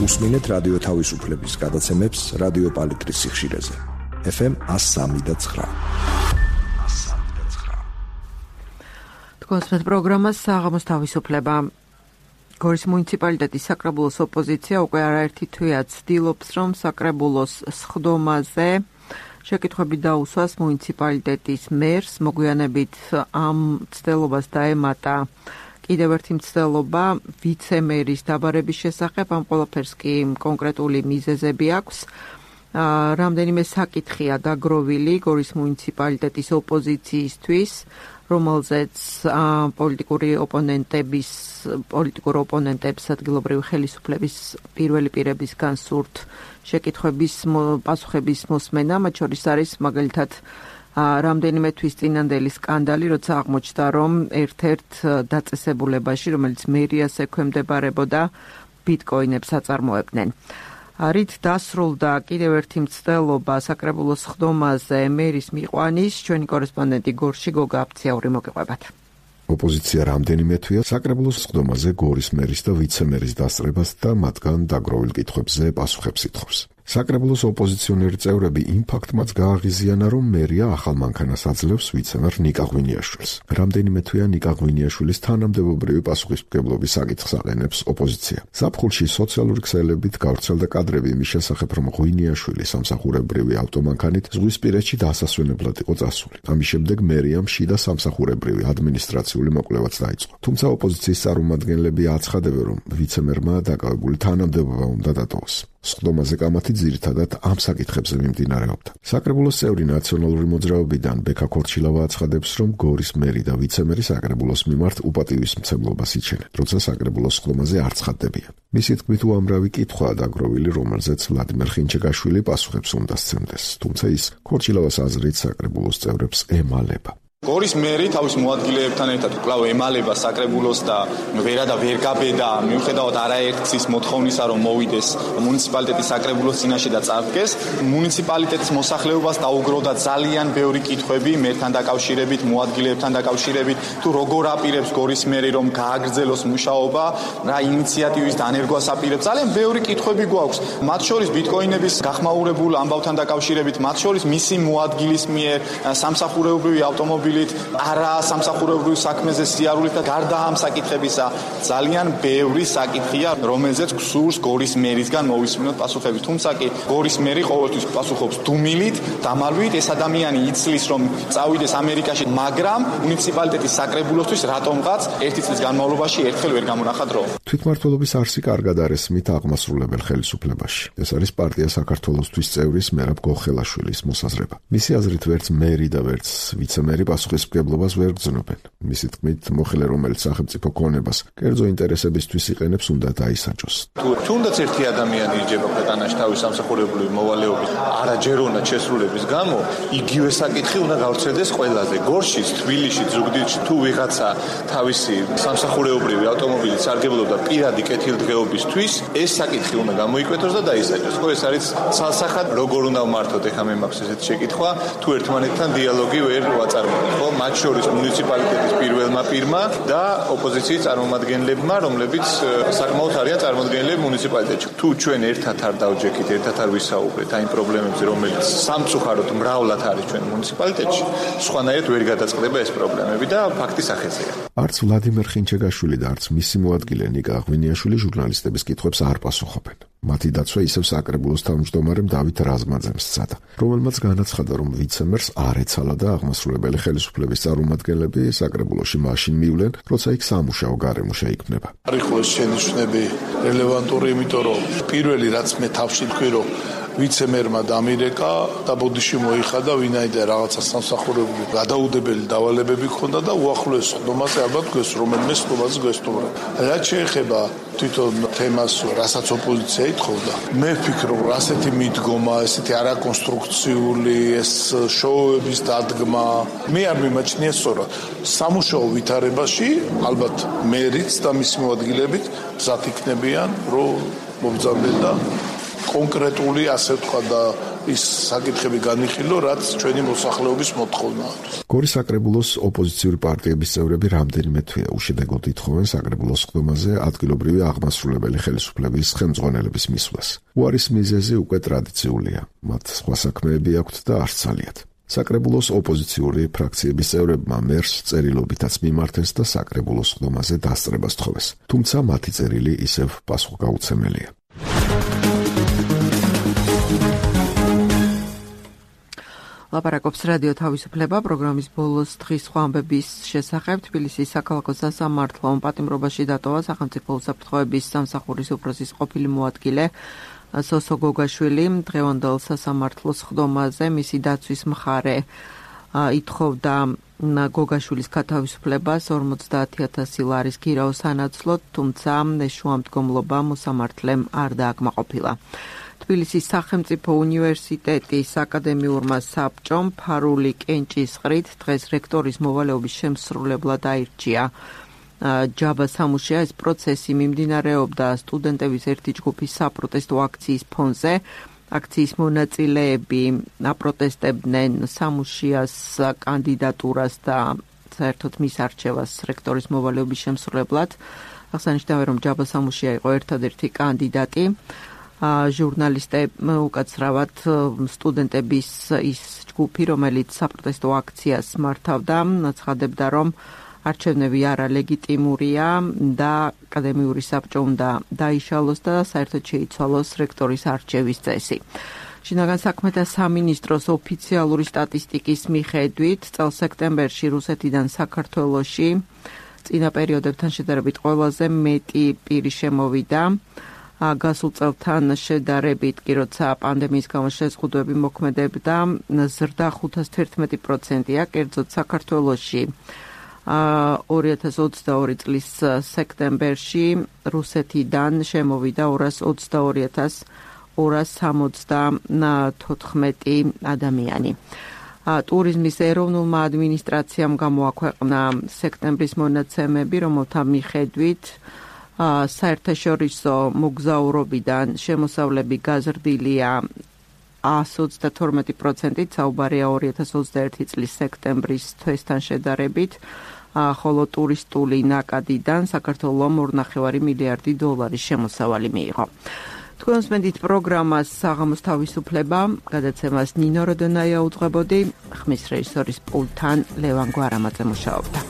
უსმინეთ რადიო თავისუფლების გადაცემებს რადიო პალიტრის სიხშირეზე. ეფ ემ ას სამი და ცხრა. თქვენს პროგრამას საღამოს თავისუფლება. გორის მუნიციპალიტეტის საკრებულოს ოპოზიცია უკვე არაერთი თვეა ცდილობს, რომ საკრებულოს სხდომაზე შეკითხვები დაუსვას მუნიციპალიტეტის მერს. მოგვიანებით ამ ცდილობას დაემატა კიდევ ერთი მცდელობა ვიცემერის დაბარების შესახებ. ამ ყველაფერს კი კონკრეტული მიზეზები აქვს. რამდენიმე საკითხია დაგროვილი გორის მუნიციპალიტეტის ოპოზიციისთვის, რომელზეც პოლიტიკური ოპონენტების პოლიტიკურ ოპონენტებს ადგილობრივი ხელისუფლების პირველი პირებისგან სურთ შეკითხვების პასუხების მოსმენა. მათ შორის არის მაგალითად რამდენიმე თვის წინანდელი სკანდალი, როცა აღმოჩნდა, რომ ერთ-ერთ დაწესებულებაში, რომელიც მერიას ექვემდებარებოდა, ბიტკოინებს აწარმოებდნენ. რით დასრულდა კიდევ ერთი მცდელობა საკრებულოს სხდომაზე მერის მიყვანის, ჩვენი კორესპონდენტი გორში გოგა აფციაური მოგიყვებათ. ოპოზიცია რამდენიმე თვეა საკრებულოს სხდომაზე გორის მერის და ვიცემერის დასწრებას და მათგან დაგროვილ კითხვებზე პასუხებს ითხოვს. საკრებულოს ოპოზიციონერი წევრები იმ ფაქტმაც გააღიზიანა, რომ მერია ახალ მანქანას აძლევს ვიცემერ ნიკა ღვინიაშვილს. რამდენიმე თვეა ნიკა ღვინიაშვილის თანამდებობრივი პასუხისმგებლობის საკითხს აყენებს ოპოზიცია. ზაფხულში სოციალური ქსელებით გავრცელდა კადრები იმის შესახებ, რომ ღვინიაშვილი სამსახურებრივი ავტომანქანით ზღვისპირეთში დასასვენებლად იყო წასული. ამის შემდეგ მერიამ შიდა სამსახურებრივი ადმინისტრაციული მოკვლევაც დაიწყო. თუმცა ოპოზიციის წარმომადგენლები აცხადებენ, რომ ვიცემერმა დაკავებული თანამდებობა უნდა დატოვოს. სხდომაზე კამათი ძირითადად ამ საკითხებზე მიმდინარეობდა. საკრებულოს წევრი ნაციონალური მოძრაობიდან ბექა ქორჩილავა აცხადებს, რომ გორის მერი და ვიცემერი საკრებულოს მიმართ უპატივისმცემლობას იჩენენ, როცა საკრებულოს სხდომაზე არ ცხადდებიან. მისი თქმით, უამრავი კითხვაა დაგროვილი, რომელზეც ვლადიმერ ხინჩეგაშვილი პასუხებს უნდა სცემდეს, თუმცა ის ქორჩილავას აზრით საკრებულოს წევრებს ემალება. გორის მერი თავის მოადგილეებთან ერთად კვლავ ემალება საკრებულოს და ვერა და ვერ გაბედა მიუხედავად არაერთის მოთხოვნისა რომ მოვიდეს მუნიციპალიტეტის საკრებულოს წინაშე და წარდგეს მუნიციპალიტეტის მოსახლეობას დაუგროვდა ძალიან ბევრი კითხვები მერთან დაკავშირებით მოადგილეებთან დაკავშირებით თუ როგორ აპირებს გორის მერი რომ გააგრძელოს მუშაობა რა ინიციატივის დანერგვას აპირებს ძალიან ბევრი კითხვები გვაქვს მათ შორის ბიტკოინების გახმაურებულ ამბავთან დაკავშირებით მათ შორის მისი მოადგილის მიერ სამსახურეობრივი ავტომობილით არა სამსახურეობრივ საქმეზე სიარულით და გარდა ამ საკითხებისა ძალიან ბევრი საკითხია რომელზეც გსურს გორის მერისგან მოვისმინოთ პასუხები თუმცა კი გორის მერი ყოველთვის პასუხობს დუმილით დამალვით ეს ადამიანი იცლის რომ წავიდეს ამერიკაში მაგრამ მუნიციპალიტეტის საკრებულოსთვის რატომღაც ერთი წლის განმავლობაში ერთხელ ვერ გამონახა დრო თვითმმართველობის არსი კარგად არის მით აღმასრულებელ ხელისუფლებაში ეს არის პარტია საქართველოსთვის წევრის მერაბ გოხელაშვილის მოსაზრება მისი აზრით ვერც მერი და ვერც ვიცემერი პასუხისმგებლობას ვერ გრძნობენ მისი თქმით მოხელე რომელიც სახელმწიფო ქონებას კერძო ინტერესებისთვის იყენებს უნდა დაისაჯოს თუ თუნდაც ერთი ადამიანი იჯება ქვეყანაში თავის სამსახურებრივი მოვალეობით არაჯეროვნად შესრულების გამო იგივე საკითხი უნდა გავრცელდეს ყველაზე გორშიც თბილისში ზუგდიდში თუ ვიღაცა თავისი სამსახურეობრივი ავტომობილით სარგებლობდა პირადი კეთილდღეობისთვის ეს საკითხი უნდა გამოიკვეთოს და დაისაჯოს ხო ეს არის ცალსახად როგორ უნდა ვმართოთ ეხა მე მაქვს ესეთი შეკითხვა თუ ერთმანეთთან დიალოგი ვერ ვაწარმოებთ ხო მათ შორის მუნიციპალიტეტის პირველმა პირმა და ოპოზიციის წარმომადგენლებმა რომლებიც საკმაოდ არიან წარმოდგენილები მუნიციპალიტეტში თუ ჩვენ ერთად არ დავჯექით ერთად არ ვისაუბრეთ აი პრობლემებზე რომელიც სამწუხაროდ მრავლად არის ჩვენ მუნიციპალიტეტში სხვანაირად ვერ გადაწყდება ეს პრობლემები და ფაქტის ახეზეა არც ვლადიმერ ხინჩეგაშვილი და არც მისი მოადგილე ნიკა ღვინიაშვილი ჟურნალისტების კითხვებს არ პასუხობენ მათი დაცვა ისევ საკრებულოს თავმჯდომარემ დავით რაზმაძემ სცადა რომელმაც განაცხადა რომ ვიცემერს არ ეცალა და აღმასრულებელი ხელისუფლების წარმომადგენლები საკრებულოში მაშინ მივლენ როცა იქ სამუშაო გარემო შეიქმნება არიხოს შენიშვნები რელევანტური იმიტომ რომ პირველი რაც მე თავში თქვი რომ ვიცემერმა დამირეკა და ბოდიში მოიხადა ვინაიდან რაღაცა სამსახურებრივი გადაუდებელი დავალებები ჰქონდა და უახლოეს ხდომაზე ალბათ გვეს რომელმე ხდომაზე გვესტუმრა რაც შეეხება თვითონ თემას რასაც ოპოზიცია ითხოვდა მე ვფიქრობ ასეთი მიდგომა ესეთი არაკონსტრუქციული ეს შოუების დადგმა მე არ მიმაჩნია სწორად სამუშაო ვითარებაში ალბათ მერიც და მისი მოადგილებით მზად იქნებიან რომ მომბრძანდნენ და კონკრეტული ასე თქვა და ის საკითხები განიხილო, რაც ჩვენი მოსახლეობის მოთხოვნაა. გორის საკრებულოს ოპოზიციური პარტიების წევრები რამდენიმე თვეა უშედეგოდ ითხოვენ საკრებულოს ხდომაზე ადგილობრივი აღმასრულებელი ხელისუფლების ხელმძღვანელების მისვლას. უარის მიზეზი უკვე ტრადიციულია. მათ სხვა საქმეები აქვთ და არც ძალიან. საკრებულოს ოპოზიციური ფრაქციების წევრებმა მერს წერილობითაც მიმართეს და საკრებულოს ხდომაზე დასწრებას თხოვეს. თუმცა მათი წერილი ისევ პასუხგაუცემელია. ლაპარაკობს რადიო თავისუფლება პროგრამის ბოლოს დღის სხვა ამბების შესახებ თბილისის საქალაქო სასამართლო პატიმრობაში დატოვა სახელმწიფო უსაფრთხოების სამსახურის უფროსის ყოფილი მოადგილე სოსო გოგაშვილი დღევანდელ სასამართლოს ხდომაზე მისი დაცვის მხარე ითხოვდა გოგაშვილის გათავისუფლებას ორმოცდაათი ათასი ლარის გირაოს სანაცვლოდ თუმცა შუამდგომლობა მოსამართლემ არ დააკმაყოფილა თბილისის სახელმწიფო უნივერსიტეტის აკადემიურმა საბჭომ ფარული კენჭისყრით დღეს რექტორის მოვალეობის შემსრულებლად აირჩია ჯაბა სამუშია ეს პროცესი მიმდინარეობდა სტუდენტების ერთი ჯგუფის საპროტესტო აქციის ფონზე აქციის მონაწილეები აპროტესტებდნენ სამუშიას კანდიდატურას და საერთოდ მის არჩევას რექტორის მოვალეობის შემსრულებლად აღსანიშნავია რომ ჯაბა სამუშია იყო ერთადერთი კანდიდატი ჟურნალისტები უკაცრავად სტუდენტების ის ჯგუფი რომელიც საპროტესტო აქციას მართავდა ცხადებდა რომ არჩევნები არა ლეგიტიმურია და აკადემიური საბჭო უნდა დაიშალოს და საერთოდ შეიცვალოს რექტორის არჩევის წესი. შინაგან საქმეთა სამინისტროს ოფიციალური სტატისტიკის მიხედვით წელს სექტემბერში რუსეთიდან საქართველოში წინა პერიოდებთან შედარებით ყველაზე მეტი პირი შემოვიდა. გასულ წელთან შედარებით კი როცა პანდემიის გამო შეზღუდვები მოქმედებდა ზრდა ხუთას თერთმეტი პროცენტია კერძოდ საქართველოში ორი ათას ოცდაორი წლის სექტემბერში რუსეთიდან შემოვიდა ორას ოცდაორი ათას ორას სამოცდათოთხმეტი ადამიანი. ტურიზმის ეროვნულმა ადმინისტრაციამ გამოაქვეყნა სექტემბრის მონაცემები, რომელთა მიხედვით საერთაშორისო მოგზაურობიდან შემოსავლები გაზრდილია ას ოცდათორმეტი პროცენტით, საუბარია ორი ათას ოცდაერთი წლის სექტემბრის თვესთან შედარებით, ხოლო ტურისტული ნაკადიდან საქართველომ ორ ნახევარი მილიარდი დოლარის შემოსავალი მიიღო. თქვენს მედით პროგრამას საღამოს თავისუფლება, გადაცემას ნინო როდონაია უძღვებოდი, ხმის რეჟისორის პულტთან ლევან გვარამაძე მუშაობდა.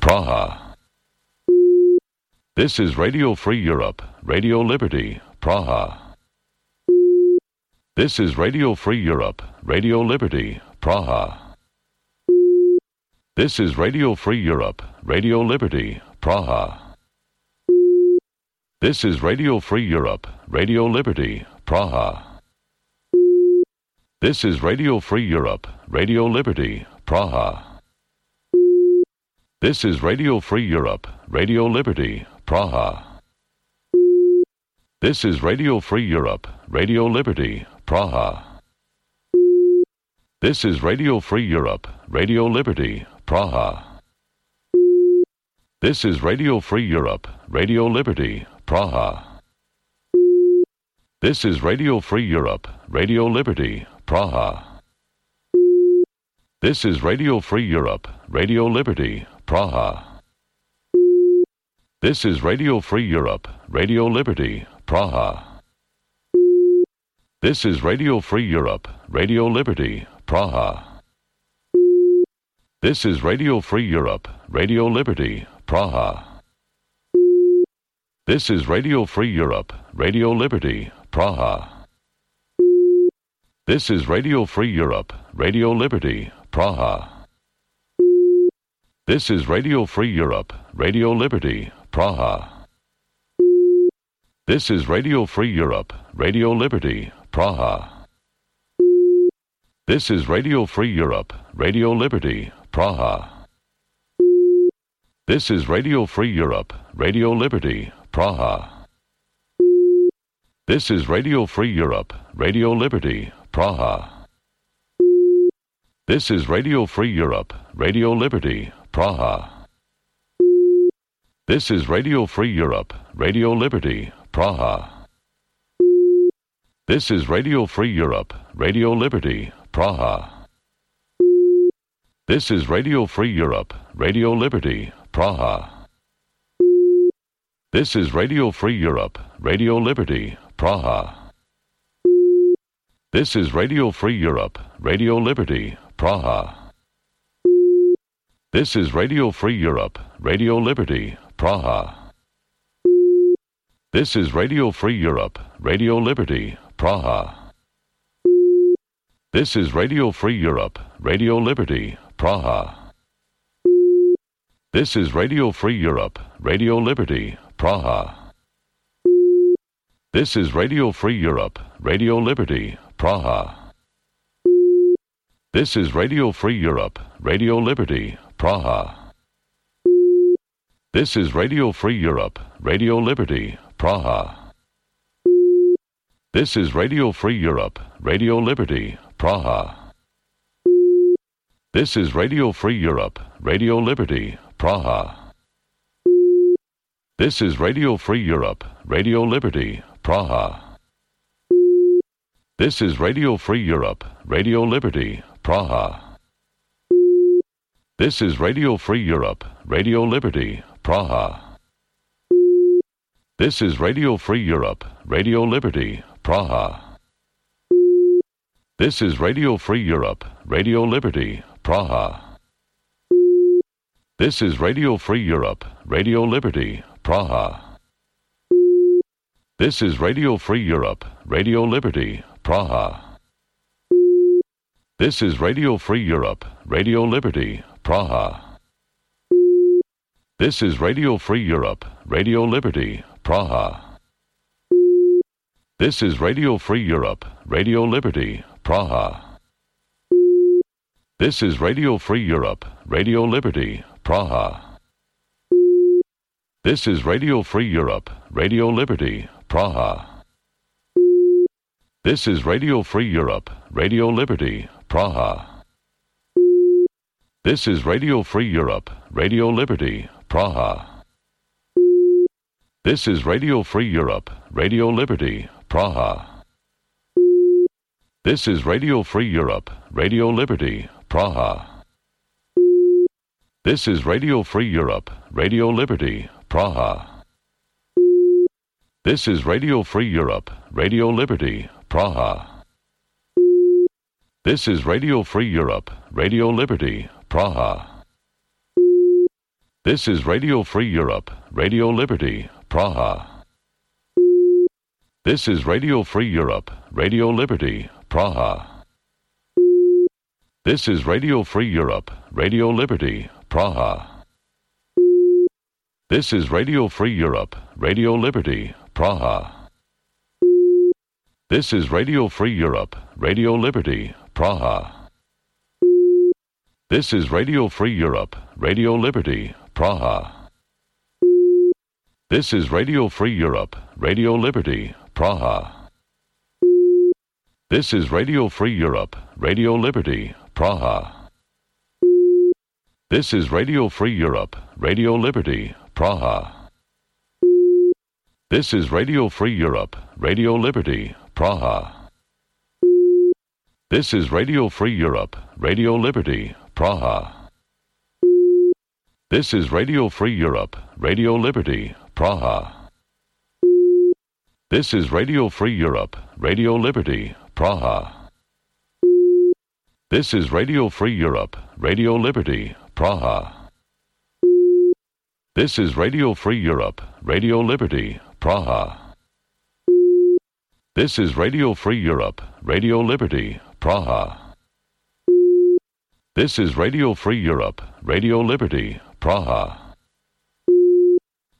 Praha. This is Radio Free Europe, Radio Liberty, Praha. This is Radio Free Europe, Radio Liberty, Praha. This is Radio Free Europe, Radio Liberty, Praha. This is Radio Free Europe, Radio Liberty, Praha. This is Radio Free Europe, Radio Liberty, Praha. This is Radio Free Europe, Radio Liberty, Praha. This is Radio Free Europe, Radio Liberty, Praha. This is Radio Free Europe, Radio Liberty, Praha. This is Radio Free Europe, Radio Liberty, Praha. This is Radio Free Europe, Radio Liberty, Praha. This is Radio Free Europe, Radio Liberty, Praha. This is Radio Free Europe, Radio Liberty, Praha. This is Radio Free Europe, Radio Liberty, Praha. This is Radio Free Europe, Radio Liberty, Praha. This is Radio Free Europe, Radio Liberty, Praha. This is Radio Free Europe, Radio Liberty, Praha. This is Radio Free Europe, Radio Liberty, Praha. This is Radio Free Europe, Radio Liberty, Praha. This is Radio Free Europe, Radio Liberty, Praha. This is Radio Free Europe, Radio Liberty, Praha. This is Radio Free Europe, Radio Liberty, Praha. This is Radio Free Europe, Radio Liberty, Praha. This is Radio Free Europe, Radio Liberty, Praha. This is Radio Free Europe, Radio Liberty, Praha. This is Radio Free Europe, Radio Liberty, Praha. This is Radio Free Europe, Radio Liberty, Praha. This is Radio Free Europe, Radio Liberty, Praha. This is Radio Free Europe, Radio Liberty, Praha. This is Radio Free Europe, Radio Liberty, Praha. This is Radio Free Europe, Radio Liberty, Praha. This is Radio Free Europe, Radio Liberty, Praha. This is Radio Free Europe, Radio Liberty, Praha. This is Radio Free Europe, Radio Liberty, Praha. This is Radio Free Europe, Radio Liberty, Praha. This is Radio Free Europe, Radio Liberty, Praha. This is Radio Free Europe, Radio Liberty, Praha. This is Radio Free Europe, Radio Liberty, Praha. This is Radio Free Europe, Radio Liberty, Praha. This is Radio Free Europe, Radio Liberty, Praha. This is Radio Free Europe, Radio Liberty, Praha. This is Radio Free Europe, Radio Liberty, Praha. This is Radio Free Europe, Radio Liberty, Praha. This is Radio Free Europe, Radio Liberty, Praha. This is Radio Free Europe, Radio Liberty, Praha. This is Radio Free Europe, Radio Liberty, Praha. This is Radio Free Europe, Radio Liberty, Praha. This is Radio Free Europe, Radio Liberty, Praha. This is Radio Free Europe, Radio Liberty, Praha. This is Radio Free Europe, Radio Liberty, Praha. This is Radio Free Europe, Radio Liberty, Praha. This is Radio Free Europe, Radio Liberty, Praha. This is Radio Free Europe, Radio Liberty, Praha. This is Radio Free Europe, Radio Liberty, Praha. This is Radio Free Europe, Radio Liberty, Praha. This is Radio Free Europe, Radio Liberty, Praha. This is Radio Free Europe, Radio Liberty, Praha. This is Radio Free Europe, Radio Liberty, Praha. This is Radio Free Europe, Radio Liberty, Praha. This is Radio Free Europe, Radio Liberty, Praha. This is Radio Free Europe, Radio Liberty, Praha. This is Radio Free Europe, Radio Liberty, Praha. This is Radio Free Europe, Radio Liberty, Praha. This is Radio Free Europe, Radio Liberty, Praha. This is Radio Free Europe, Radio Liberty, Praha. This is Radio Free Europe, Radio Liberty, Praha. This is Radio Free Europe, Radio Liberty, Praha. This is Radio Free Europe, Radio Liberty, Praha. This is Radio Free Europe, Radio Liberty, Praha. This is Radio Free Europe, Radio Liberty, Praha. This is Radio Free Europe, Radio Liberty, Praha. This is Radio Free Europe, Radio Liberty, Praha. This is Radio Free Europe, Radio Liberty, Praha.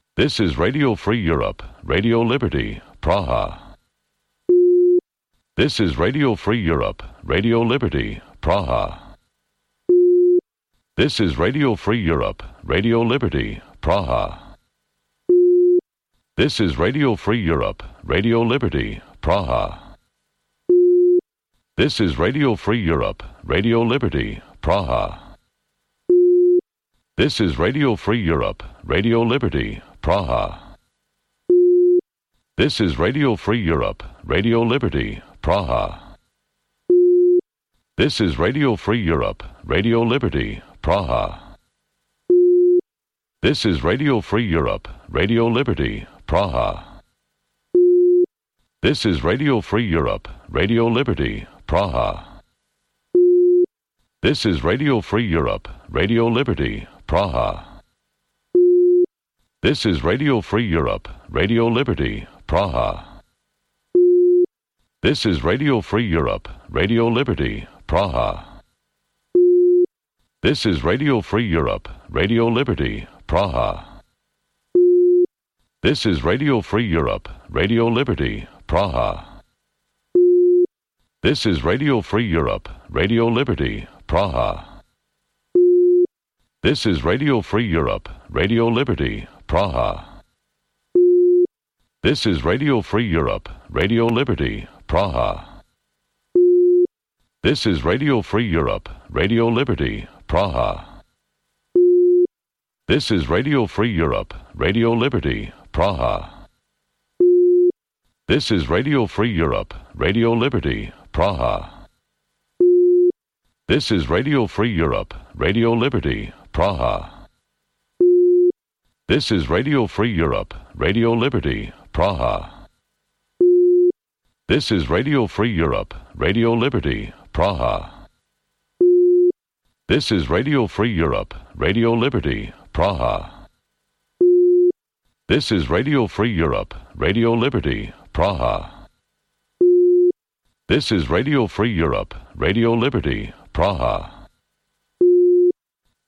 This is Radio Free Europe, Radio Liberty, Praha. This is Radio Free Europe, Radio Liberty, Praha. This is Radio Free Europe, Radio Liberty, Praha. This is Radio Free Europe, Radio Liberty, Praha. This is Radio Free Europe, Radio Liberty, Praha. This is Radio Free Europe, Radio Liberty, Praha. This is Radio Free Europe, Radio Liberty, Praha. This is Radio Free Europe, Radio Liberty, Praha. This is Radio Free Europe, Radio Liberty, Praha. This is Radio Free Europe, Radio Liberty, Praha. This is Radio Free Europe, Radio Liberty, Praha. This is Radio Free Europe, Radio Liberty, Praha. This is Radio Free Europe, Radio Liberty, Praha. This is Radio Free Europe, Radio Liberty, Praha. This is Radio Free Europe, Radio Liberty, Praha. This is Radio Free Europe, Radio Liberty, Praha. This is Radio Free Europe, Radio Liberty, Praha. This is Radio Free Europe, Radio Liberty, Praha. This is Radio Free Europe, Radio Liberty, Praha. This is Radio Free Europe, Radio Liberty, Praha. This is Radio Free Europe, Radio Liberty, Praha. This is Radio Free Europe, Radio Liberty, Praha. This is Radio Free Europe, Radio Liberty, Praha. This is Radio Free Europe, Radio Liberty, Praha. This is Radio Free Europe, Radio Liberty, Praha. This is Radio Free Europe, Radio Liberty, Praha. This is Radio Free Europe, Radio Liberty, Praha.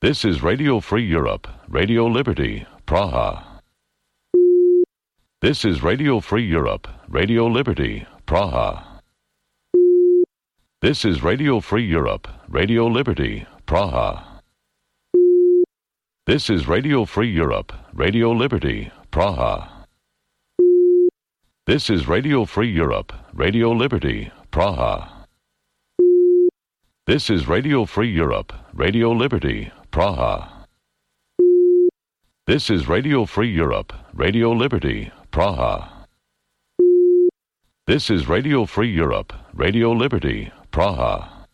This is Radio Free Europe, Radio Liberty, Praha. This is Radio Free Europe, Radio Liberty, Praha. This is Radio Free Europe, Radio Liberty, Praha. This is Radio Free Europe, Radio Liberty, Praha. This is Radio Free Europe, Radio Liberty, Praha. This is Radio Free Europe, Radio Liberty, Praha. This is Radio Free Europe, Radio Liberty, Praha. This is Radio Free Europe, Radio Liberty, Praha.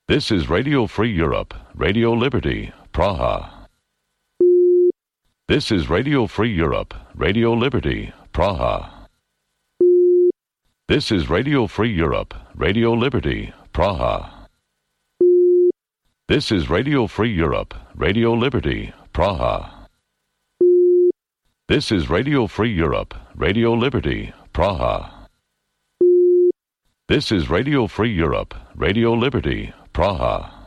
This is Radio Free Europe, Radio Liberty, Praha. This is Radio Free Europe, Radio Liberty, Praha. This is Radio Free Europe, Radio Liberty, Praha. This is Radio Free Europe, Radio Liberty, Praha. This is Radio Free Europe, Radio Liberty, Praha. This is Radio Free Europe, Radio Liberty, Praha.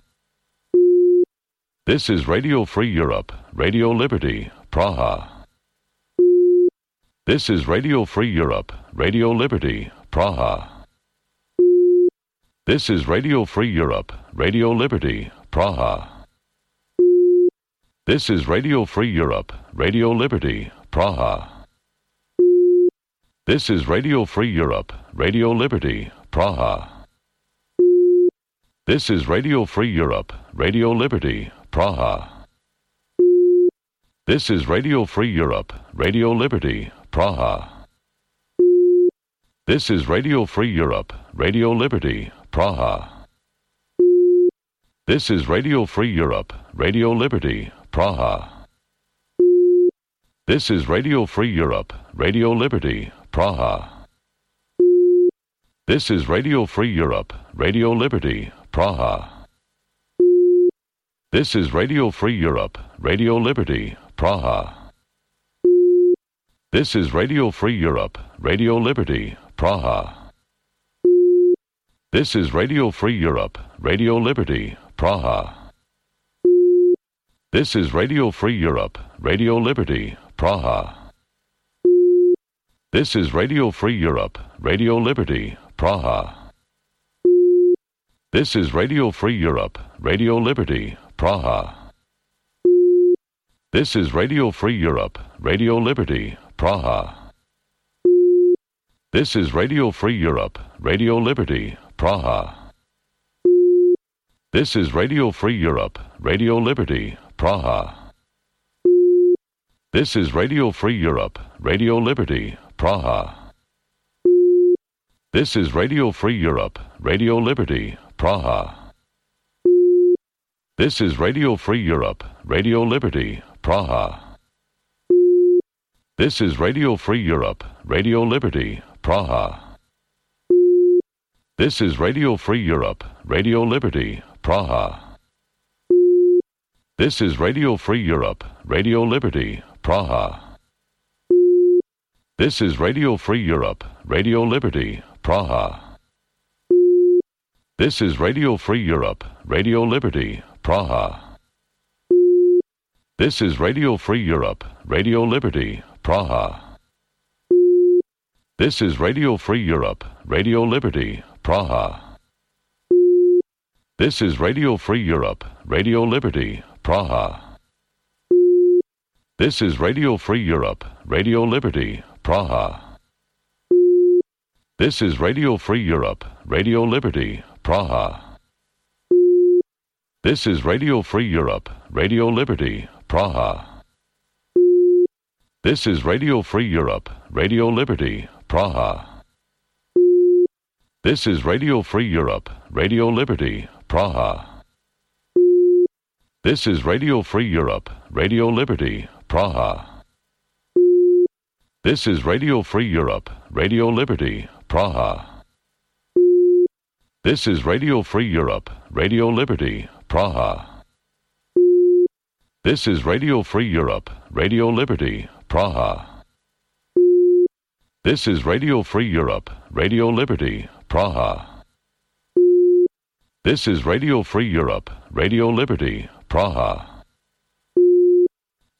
This is Radio Free Europe, Radio Liberty, Praha. This is Radio Free Europe, Radio Liberty, Praha. This is Radio Free Europe, Radio Liberty, Praha. This is Radio Free Europe, Radio Liberty, Praha. This is Radio Free Europe, Radio Liberty, Praha. This is Radio Free Europe, Radio Liberty, Praha. This is Radio Free Europe, Radio Liberty, Praha. This is Radio Free Europe, Radio Liberty, Praha. This is Radio Free Europe, Radio Liberty, Praha. This is Radio Free Europe, Radio Liberty, Praha. This is Radio Free Europe, Radio Liberty, Praha. This is Radio Free Europe, Radio Liberty, Praha. This is Radio Free Europe, Radio Liberty, Praha. This is Radio Free Europe, Radio Liberty, Praha. This is Radio Free Europe, Radio Liberty, Praha. This is Radio Free Europe, Radio Liberty, Praha. This is Radio Free Europe, Radio Liberty, Praha. This is Radio Free Europe, Radio Liberty, Praha. This is Radio Free Europe, Radio Liberty, Praha. This is Radio Free Europe, Radio Liberty, Praha. This is Radio Free Europe, Radio Liberty, Praha. This is Radio Free Europe, Radio Liberty, Praha. This is Radio Free Europe, Radio Liberty, Praha. This is Radio Free Europe, Radio Liberty, Praha. This is Radio Free Europe, Radio Liberty, Praha. This is Radio Free Europe, Radio Liberty, Praha. This is Radio Free Europe, Radio Liberty, Praha. This is Radio Free Europe, Radio Liberty, Praha. This is Radio Free Europe, Radio Liberty, Praha. This is Radio Free Europe, Radio Liberty, Praha. This is Radio Free Europe, Radio Liberty, Praha. This is Radio Free Europe, Radio Liberty, Praha. This is Radio Free Europe, Radio Liberty, Praha. This is Radio Free Europe, Radio Liberty, Praha. This is Radio Free Europe, Radio Liberty, Praha. This is Radio Free Europe, Radio Liberty, Praha. This is Radio Free Europe, Radio Liberty, Praha. This is Radio Free Europe, Radio Liberty, Praha. This is Radio Free Europe, Radio Liberty, Praha. This is Radio Free Europe, Radio Liberty, Praha. This is Radio Free Europe, Radio Liberty, Praha. This is Radio Free Europe, Radio Liberty, Praha.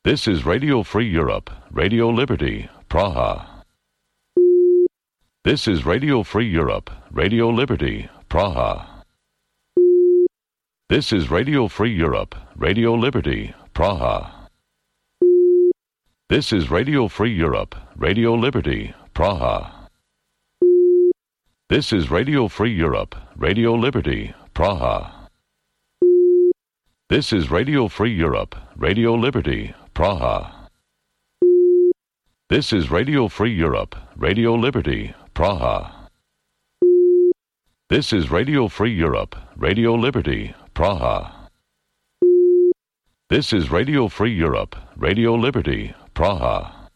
This is Radio Free Europe, Radio Liberty, Praha. This is Radio Free Europe, Radio Liberty, Praha. This is Radio Free Europe, Radio Liberty, Praha. This is Radio Free Europe, Radio Liberty, Praha. This is Radio Free Europe, Radio Liberty, Praha. This is Radio Free Europe, Radio Liberty, Praha. This is Radio Free Europe, Radio Liberty, Praha. This is Radio Free Europe, Radio Liberty, Praha. This is Radio Free Europe, Radio Liberty, Praha.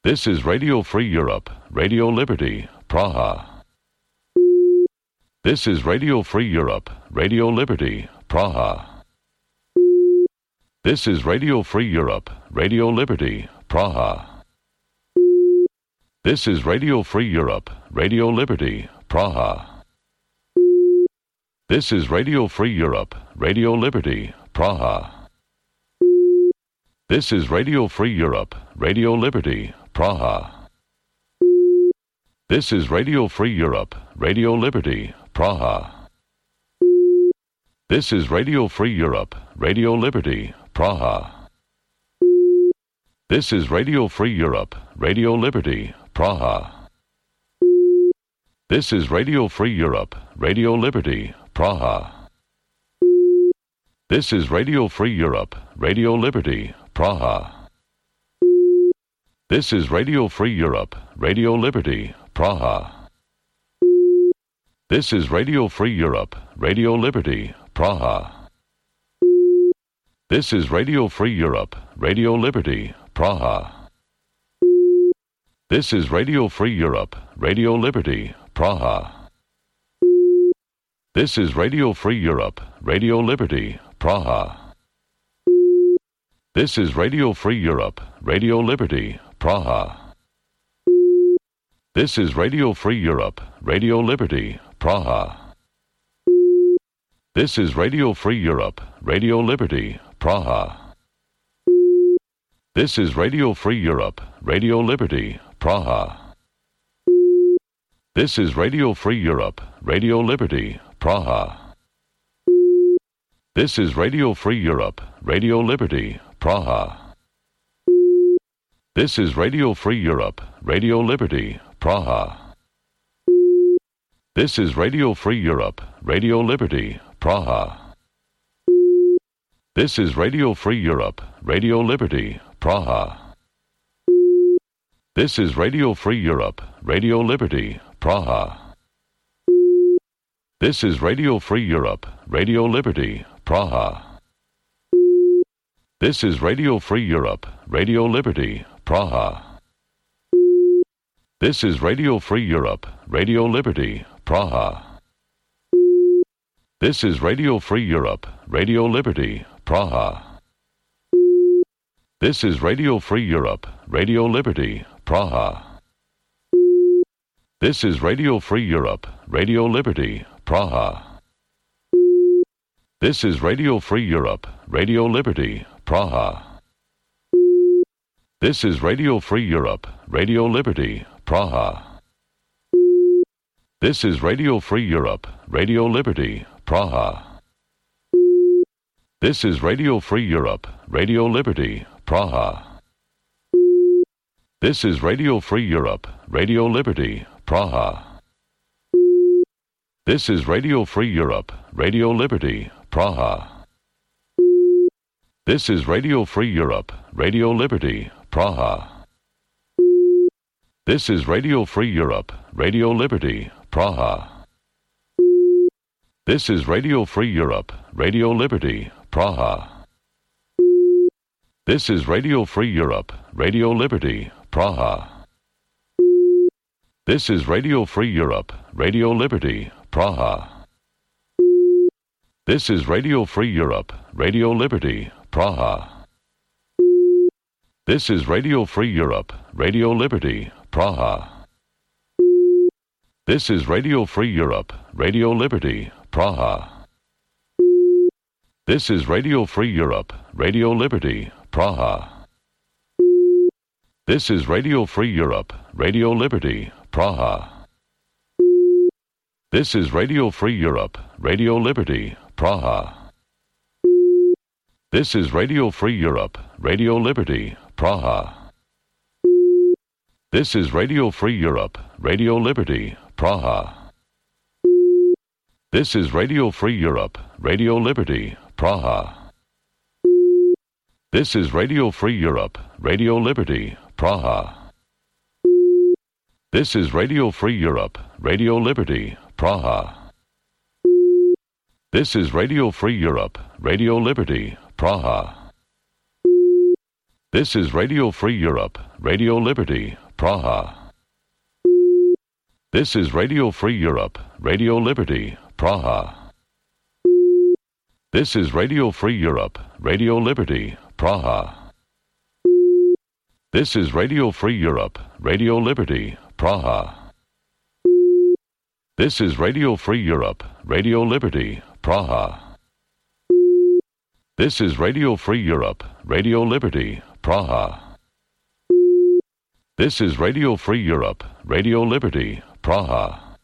This is Radio Free Europe, Radio Liberty, Praha. This is Radio Free Europe, Radio Liberty, Praha. This is Radio Free Europe, Radio Liberty, Praha. This is Radio Free Europe, Radio Liberty, Praha. This is Radio Free Europe, Radio Liberty, Praha. This is Radio Free Europe, Radio Liberty, Praha. This is Radio Free Europe, Radio Liberty, Praha. This is Radio Free Europe, Radio Liberty, Praha. This is Radio Free Europe, Radio Liberty, Praha. This is Radio Free Europe, Radio Liberty, Praha. This is Radio Free Europe, Radio Liberty, Praha. This is Radio Free Europe, Radio Liberty, Praha. This is Radio Free Europe, Radio Liberty, Praha. This is Radio Free Europe, Radio Liberty, Praha. This is Radio Free Europe, Radio Liberty, Praha. This is Radio Free Europe, Radio Liberty, Praha. This is Radio Free Europe, Radio Liberty, Praha. This is Radio Free Europe, Radio Liberty, Praha. This is Radio Free Europe, Radio Liberty, Praha. This is Radio Free Europe, Radio Liberty, Praha. This is Radio Free Europe, Radio Liberty, Praha. This is Radio Free Europe, Radio Liberty, Praha. This is Radio Free Europe, Radio Liberty, Praha. This is Radio Free Europe, Radio Liberty, Praha. This is Radio Free Europe, Radio Liberty, Praha. This is Radio Free Europe, Radio Liberty, Praha. This is Radio Free Europe, Radio Liberty, Praha. This is Radio Free Europe, Radio Liberty, Praha. This is Radio Free Europe, Radio Liberty, Praha. This is Radio Free Europe, Radio Liberty, Praha. This is Radio Free Europe, Radio Liberty, Praha. This is Radio Free Europe, Radio Liberty, Praha. This is Radio Free Europe, Radio Liberty, Praha. This is Radio Free Europe, Radio Liberty, Praha. This is Radio Free Europe, Radio Liberty, Praha. This is Radio Free Europe, Radio Liberty, Praha. This is Radio Free Europe, Radio Liberty, Praha. This is Radio Free Europe, Radio Liberty, Praha. This is Radio Free Europe, Radio Liberty, Praha. This is Radio Free Europe, Radio Liberty, Praha. This is Radio Free Europe, Radio Liberty, Praha. This is Radio Free Europe, Radio Liberty, Praha. This is Radio Free Europe, Radio Liberty, Praha. This is Radio Free Europe, Radio Liberty, Praha. This is Radio Free Europe, Radio Liberty, Praha. This is Radio Free Europe, Radio Liberty, Praha. This is Radio Free Europe, Radio Liberty, Praha. This is Radio Free Europe, Radio Liberty, Praha. This is Radio Free Europe, Radio Liberty, Praha. This is Radio Free Europe, Radio Liberty, Praha. This is Radio Free Europe, Radio Liberty, Praha. This is Radio Free Europe, Radio Liberty, Praha. This is Radio Free Europe, Radio Liberty, Praha. This is Radio Free Europe, Radio Liberty, Praha. This is Radio Free Europe, Radio Liberty, Praha. This is Radio Free Europe, Radio Liberty, Praha. This is Radio Free Europe, Radio Liberty, Praha. This is Radio Free Europe, Radio Liberty, Praha. This is Radio Free Europe, Radio Liberty, Praha. This is Radio Free Europe, Radio Liberty, Praha. This is Radio Free Europe, Radio Liberty, Praha. This is Radio Free Europe, Radio Liberty, Praha.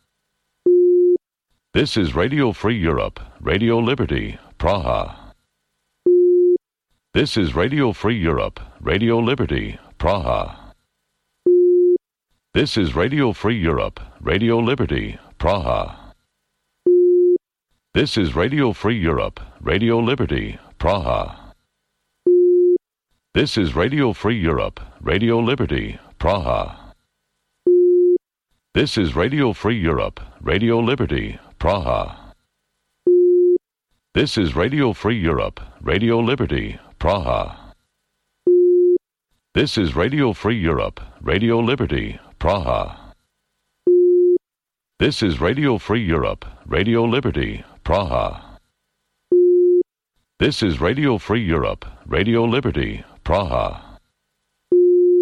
This is Radio Free Europe, Radio Liberty, Praha. This is Radio Free Europe, Radio Liberty, Praha. This is Radio Free Europe, Radio Liberty, Praha. This is Radio Free Europe, Radio Liberty, Praha. This is Radio Free Europe, Radio Liberty, Praha. This is Radio Free Europe, Radio Liberty, Praha. This is Radio Free Europe, Radio Liberty, Praha. This is Radio Free Europe, Radio Liberty, Praha. This is Radio Free Europe, Radio Liberty, Praha. This is Radio Free Europe, Radio Liberty, Praha.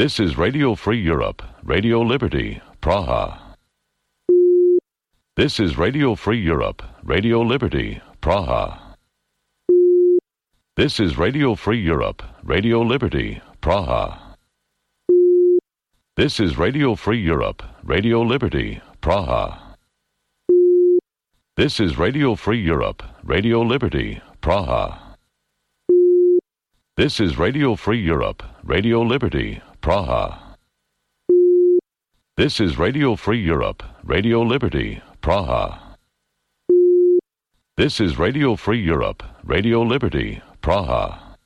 This is Radio Free Europe, Radio Liberty, Praha. This is Radio Free Europe, Radio Liberty, Praha. This is Radio Free Europe, Radio Liberty, Praha. This is Radio Free Europe, Radio Liberty, Praha. This is Radio Free Europe, Radio Liberty, Praha. This is Radio Free Europe, Radio Liberty, Praha. This is Radio Free Europe, Radio Liberty, Praha. This is Radio Free Europe, Radio Liberty, Praha.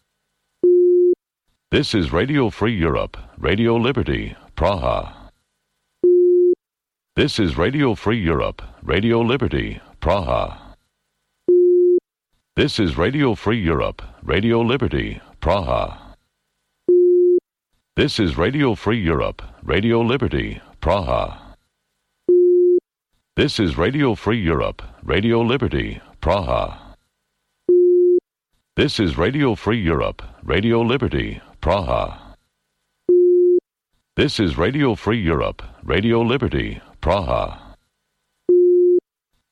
This is Radio Free Europe, Radio Liberty, Praha. This is Radio Free Europe, Radio Liberty, Praha. This is Radio Free Europe, Radio Liberty, Praha. This is Radio Free Europe, Radio Liberty, Praha. This is Radio Free Europe, Radio Liberty, Praha. This is Radio Free Europe, Radio Liberty, Praha. This is Radio Free Europe, Radio Liberty, Praha.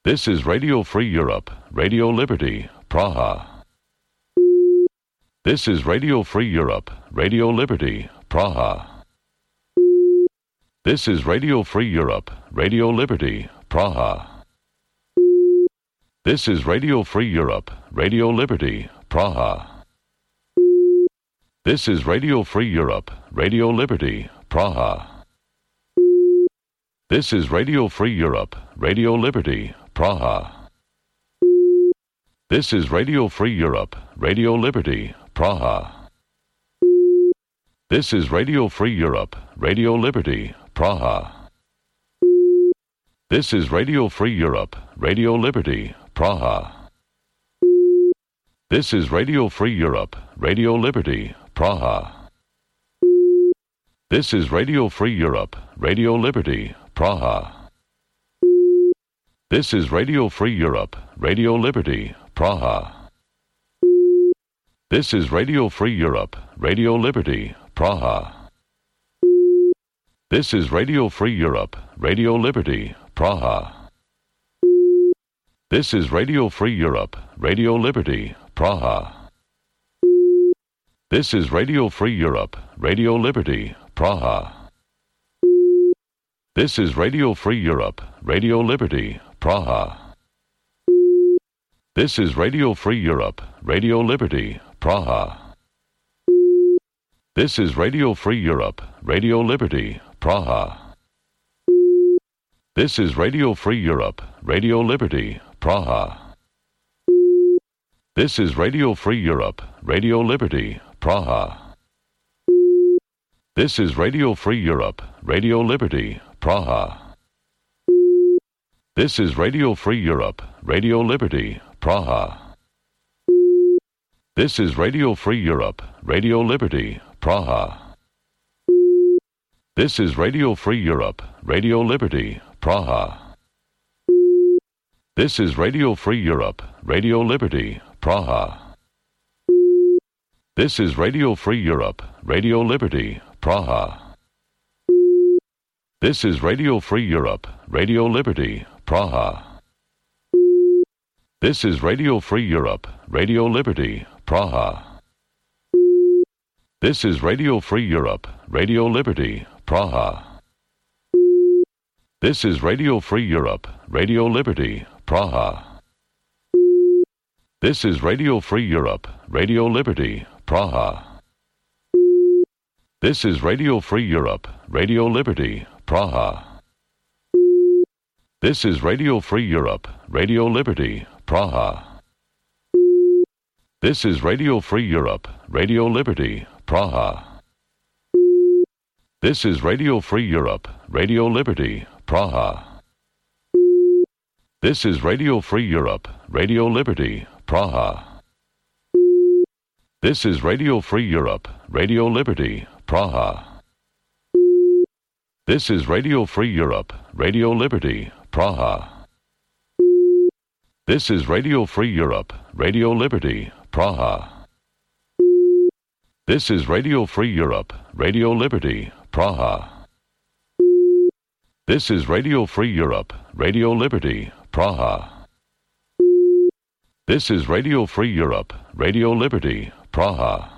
This is Radio Free Europe, Radio Liberty, Praha. This is Radio Free Europe, Radio Liberty, Praha. This is Radio Free Europe, Radio Liberty, Praha. This is Radio Free Europe, Radio Liberty, Praha. This is Radio Free Europe, Radio Liberty, Praha. This is Radio Free Europe, Radio Liberty, Praha. This is Radio Free Europe, Radio Liberty, Praha. This is Radio Free Europe, Radio Liberty, Praha. This is Radio Free Europe, Radio Liberty, Praha. This is Radio Free Europe, Radio Liberty, Praha. This is Radio Free Europe, Radio Liberty, Praha. This is Radio Free Europe, Radio Liberty, Praha. This is Radio Free Europe, Radio Liberty, Praha. This is Radio Free Europe, Radio Liberty, Praha. This is Radio Free Europe, Radio Liberty, Praha. This is Radio Free Europe, Radio Liberty, Praha. This is Radio Free Europe, Radio Liberty, Praha. This is Radio Free Europe, Radio Liberty, Praha. This is Radio Free Europe, Radio Liberty, Praha. This is Radio Free Europe, Radio Liberty, Praha. This is Radio Free Europe, Radio Liberty, Praha. This is Radio Free Europe, Radio Liberty, Praha. This is Radio Free Europe, Radio Liberty, Praha. This is Radio Free Europe, Radio Liberty, Praha. This is Radio Free Europe, Radio Liberty, Praha. This is Radio Free Europe, Radio Liberty, Praha. This is Radio Free Europe, Radio Liberty, Praha. This is Radio Free Europe, Radio Liberty, Praha. This is Radio Free Europe, Radio Liberty, Praha. This is Radio Free Europe, Radio Liberty, Praha. This is Radio Free Europe, Radio Liberty, Praha. This is Radio Free Europe, Radio Liberty, Praha. This is Radio Free Europe, Radio Liberty, Praha. This is Radio Free Europe, Radio Liberty, Praha. This is Radio Free Europe, Radio Liberty, Praha. This is Radio Free Europe, Radio Liberty, Praha. This is Radio Free Europe, Radio Liberty, Praha. This is Radio Free Europe, Radio Liberty, Praha. This is Radio Free Europe, Radio Liberty, Praha. This is Radio Free Europe, Radio Liberty, Praha. This is Radio Free Europe, Radio Liberty, Praha. This is Radio Free Europe, Radio Liberty, Praha. This is Radio Free Europe, Radio Liberty, Praha. This is Radio Free Europe,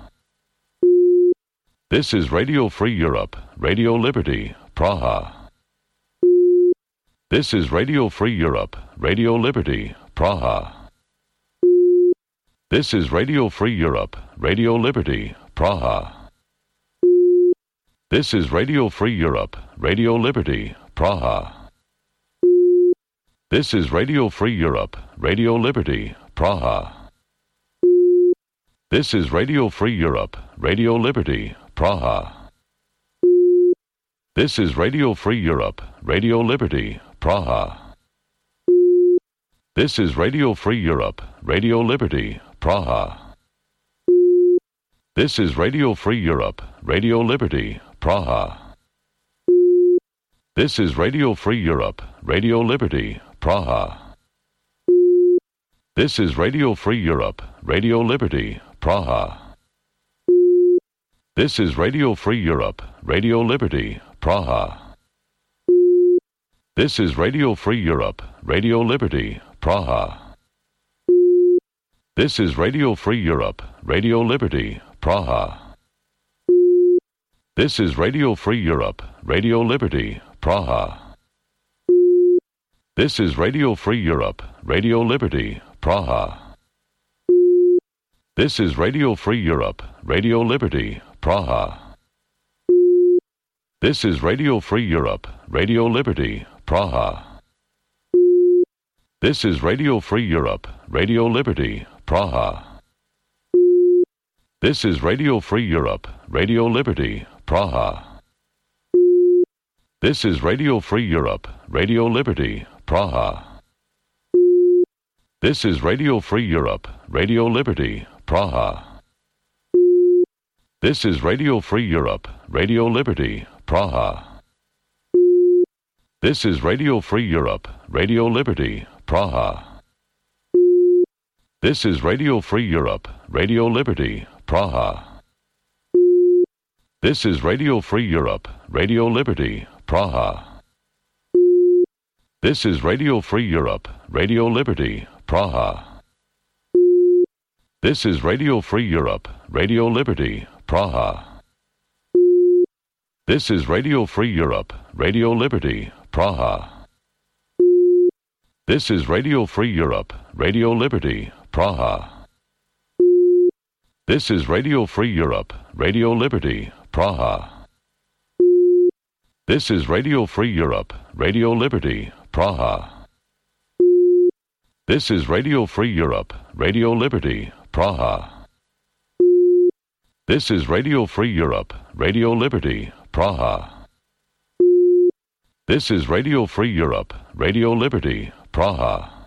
Radio Liberty, Praha. This is Radio Free Europe, Radio Liberty, Praha. This is Radio Free Europe, Radio Liberty, Praha. This is Radio Free Europe, Radio Liberty, Praha. This is Radio Free Europe, Radio Liberty, Praha. This is Radio Free Europe, Radio Liberty, Praha. This is Radio Free Europe, Radio Liberty, Praha. This is Radio Free Europe, Radio Liberty, Praha. This is Radio Free Europe, Radio Liberty, Praha. This is Radio Free Europe, Radio Liberty, Praha. This is Radio Free Europe, Radio Liberty, Praha. This is Radio Free Europe, Radio Liberty, Praha. This is Radio Free Europe, Radio Liberty, Praha. This is Radio Free Europe, Radio Liberty, Praha. This is Radio Free Europe, Radio Liberty, Praha. This is Radio Free Europe, Radio Liberty, Praha. This is Radio Free Europe, Radio Liberty, Praha. This is Radio Free Europe, Radio Liberty, Praha. This is Radio Free Europe, Radio Liberty, Praha. This is Radio Free Europe, Radio Liberty, Praha. This is Radio Free Europe, Radio Liberty, Praha. This is Radio Free Europe, Radio Liberty, Praha. This is Radio Free Europe, Radio Liberty, Praha. This is Radio Free Europe, Radio Liberty, Praha. This is Radio Free Europe, Radio Liberty, Praha. This is Radio Free Europe, Radio Liberty, Praha. This is Radio Free Europe, Radio Liberty, Praha. This is Radio Free Europe, Radio Liberty, Praha. This is Radio Free Europe, Radio Liberty, Praha. This is Radio Free Europe, Radio Liberty, Praha. This is Radio Free Europe, Radio Liberty, Praha. This is Radio Free Europe, Radio Liberty, Praha. This is Radio Free Europe, Radio Liberty, Praha. This is Radio Free Europe, Radio Liberty, Praha. This is Radio Free Europe, Radio Liberty, Praha.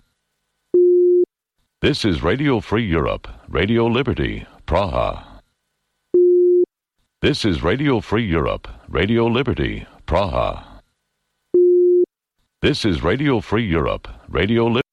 This is Radio Free Europe, Radio Liberty, Praha. This is Radio Free Europe, Radio Liberty, Praha. This is Radio Free Europe, Radio Liberty.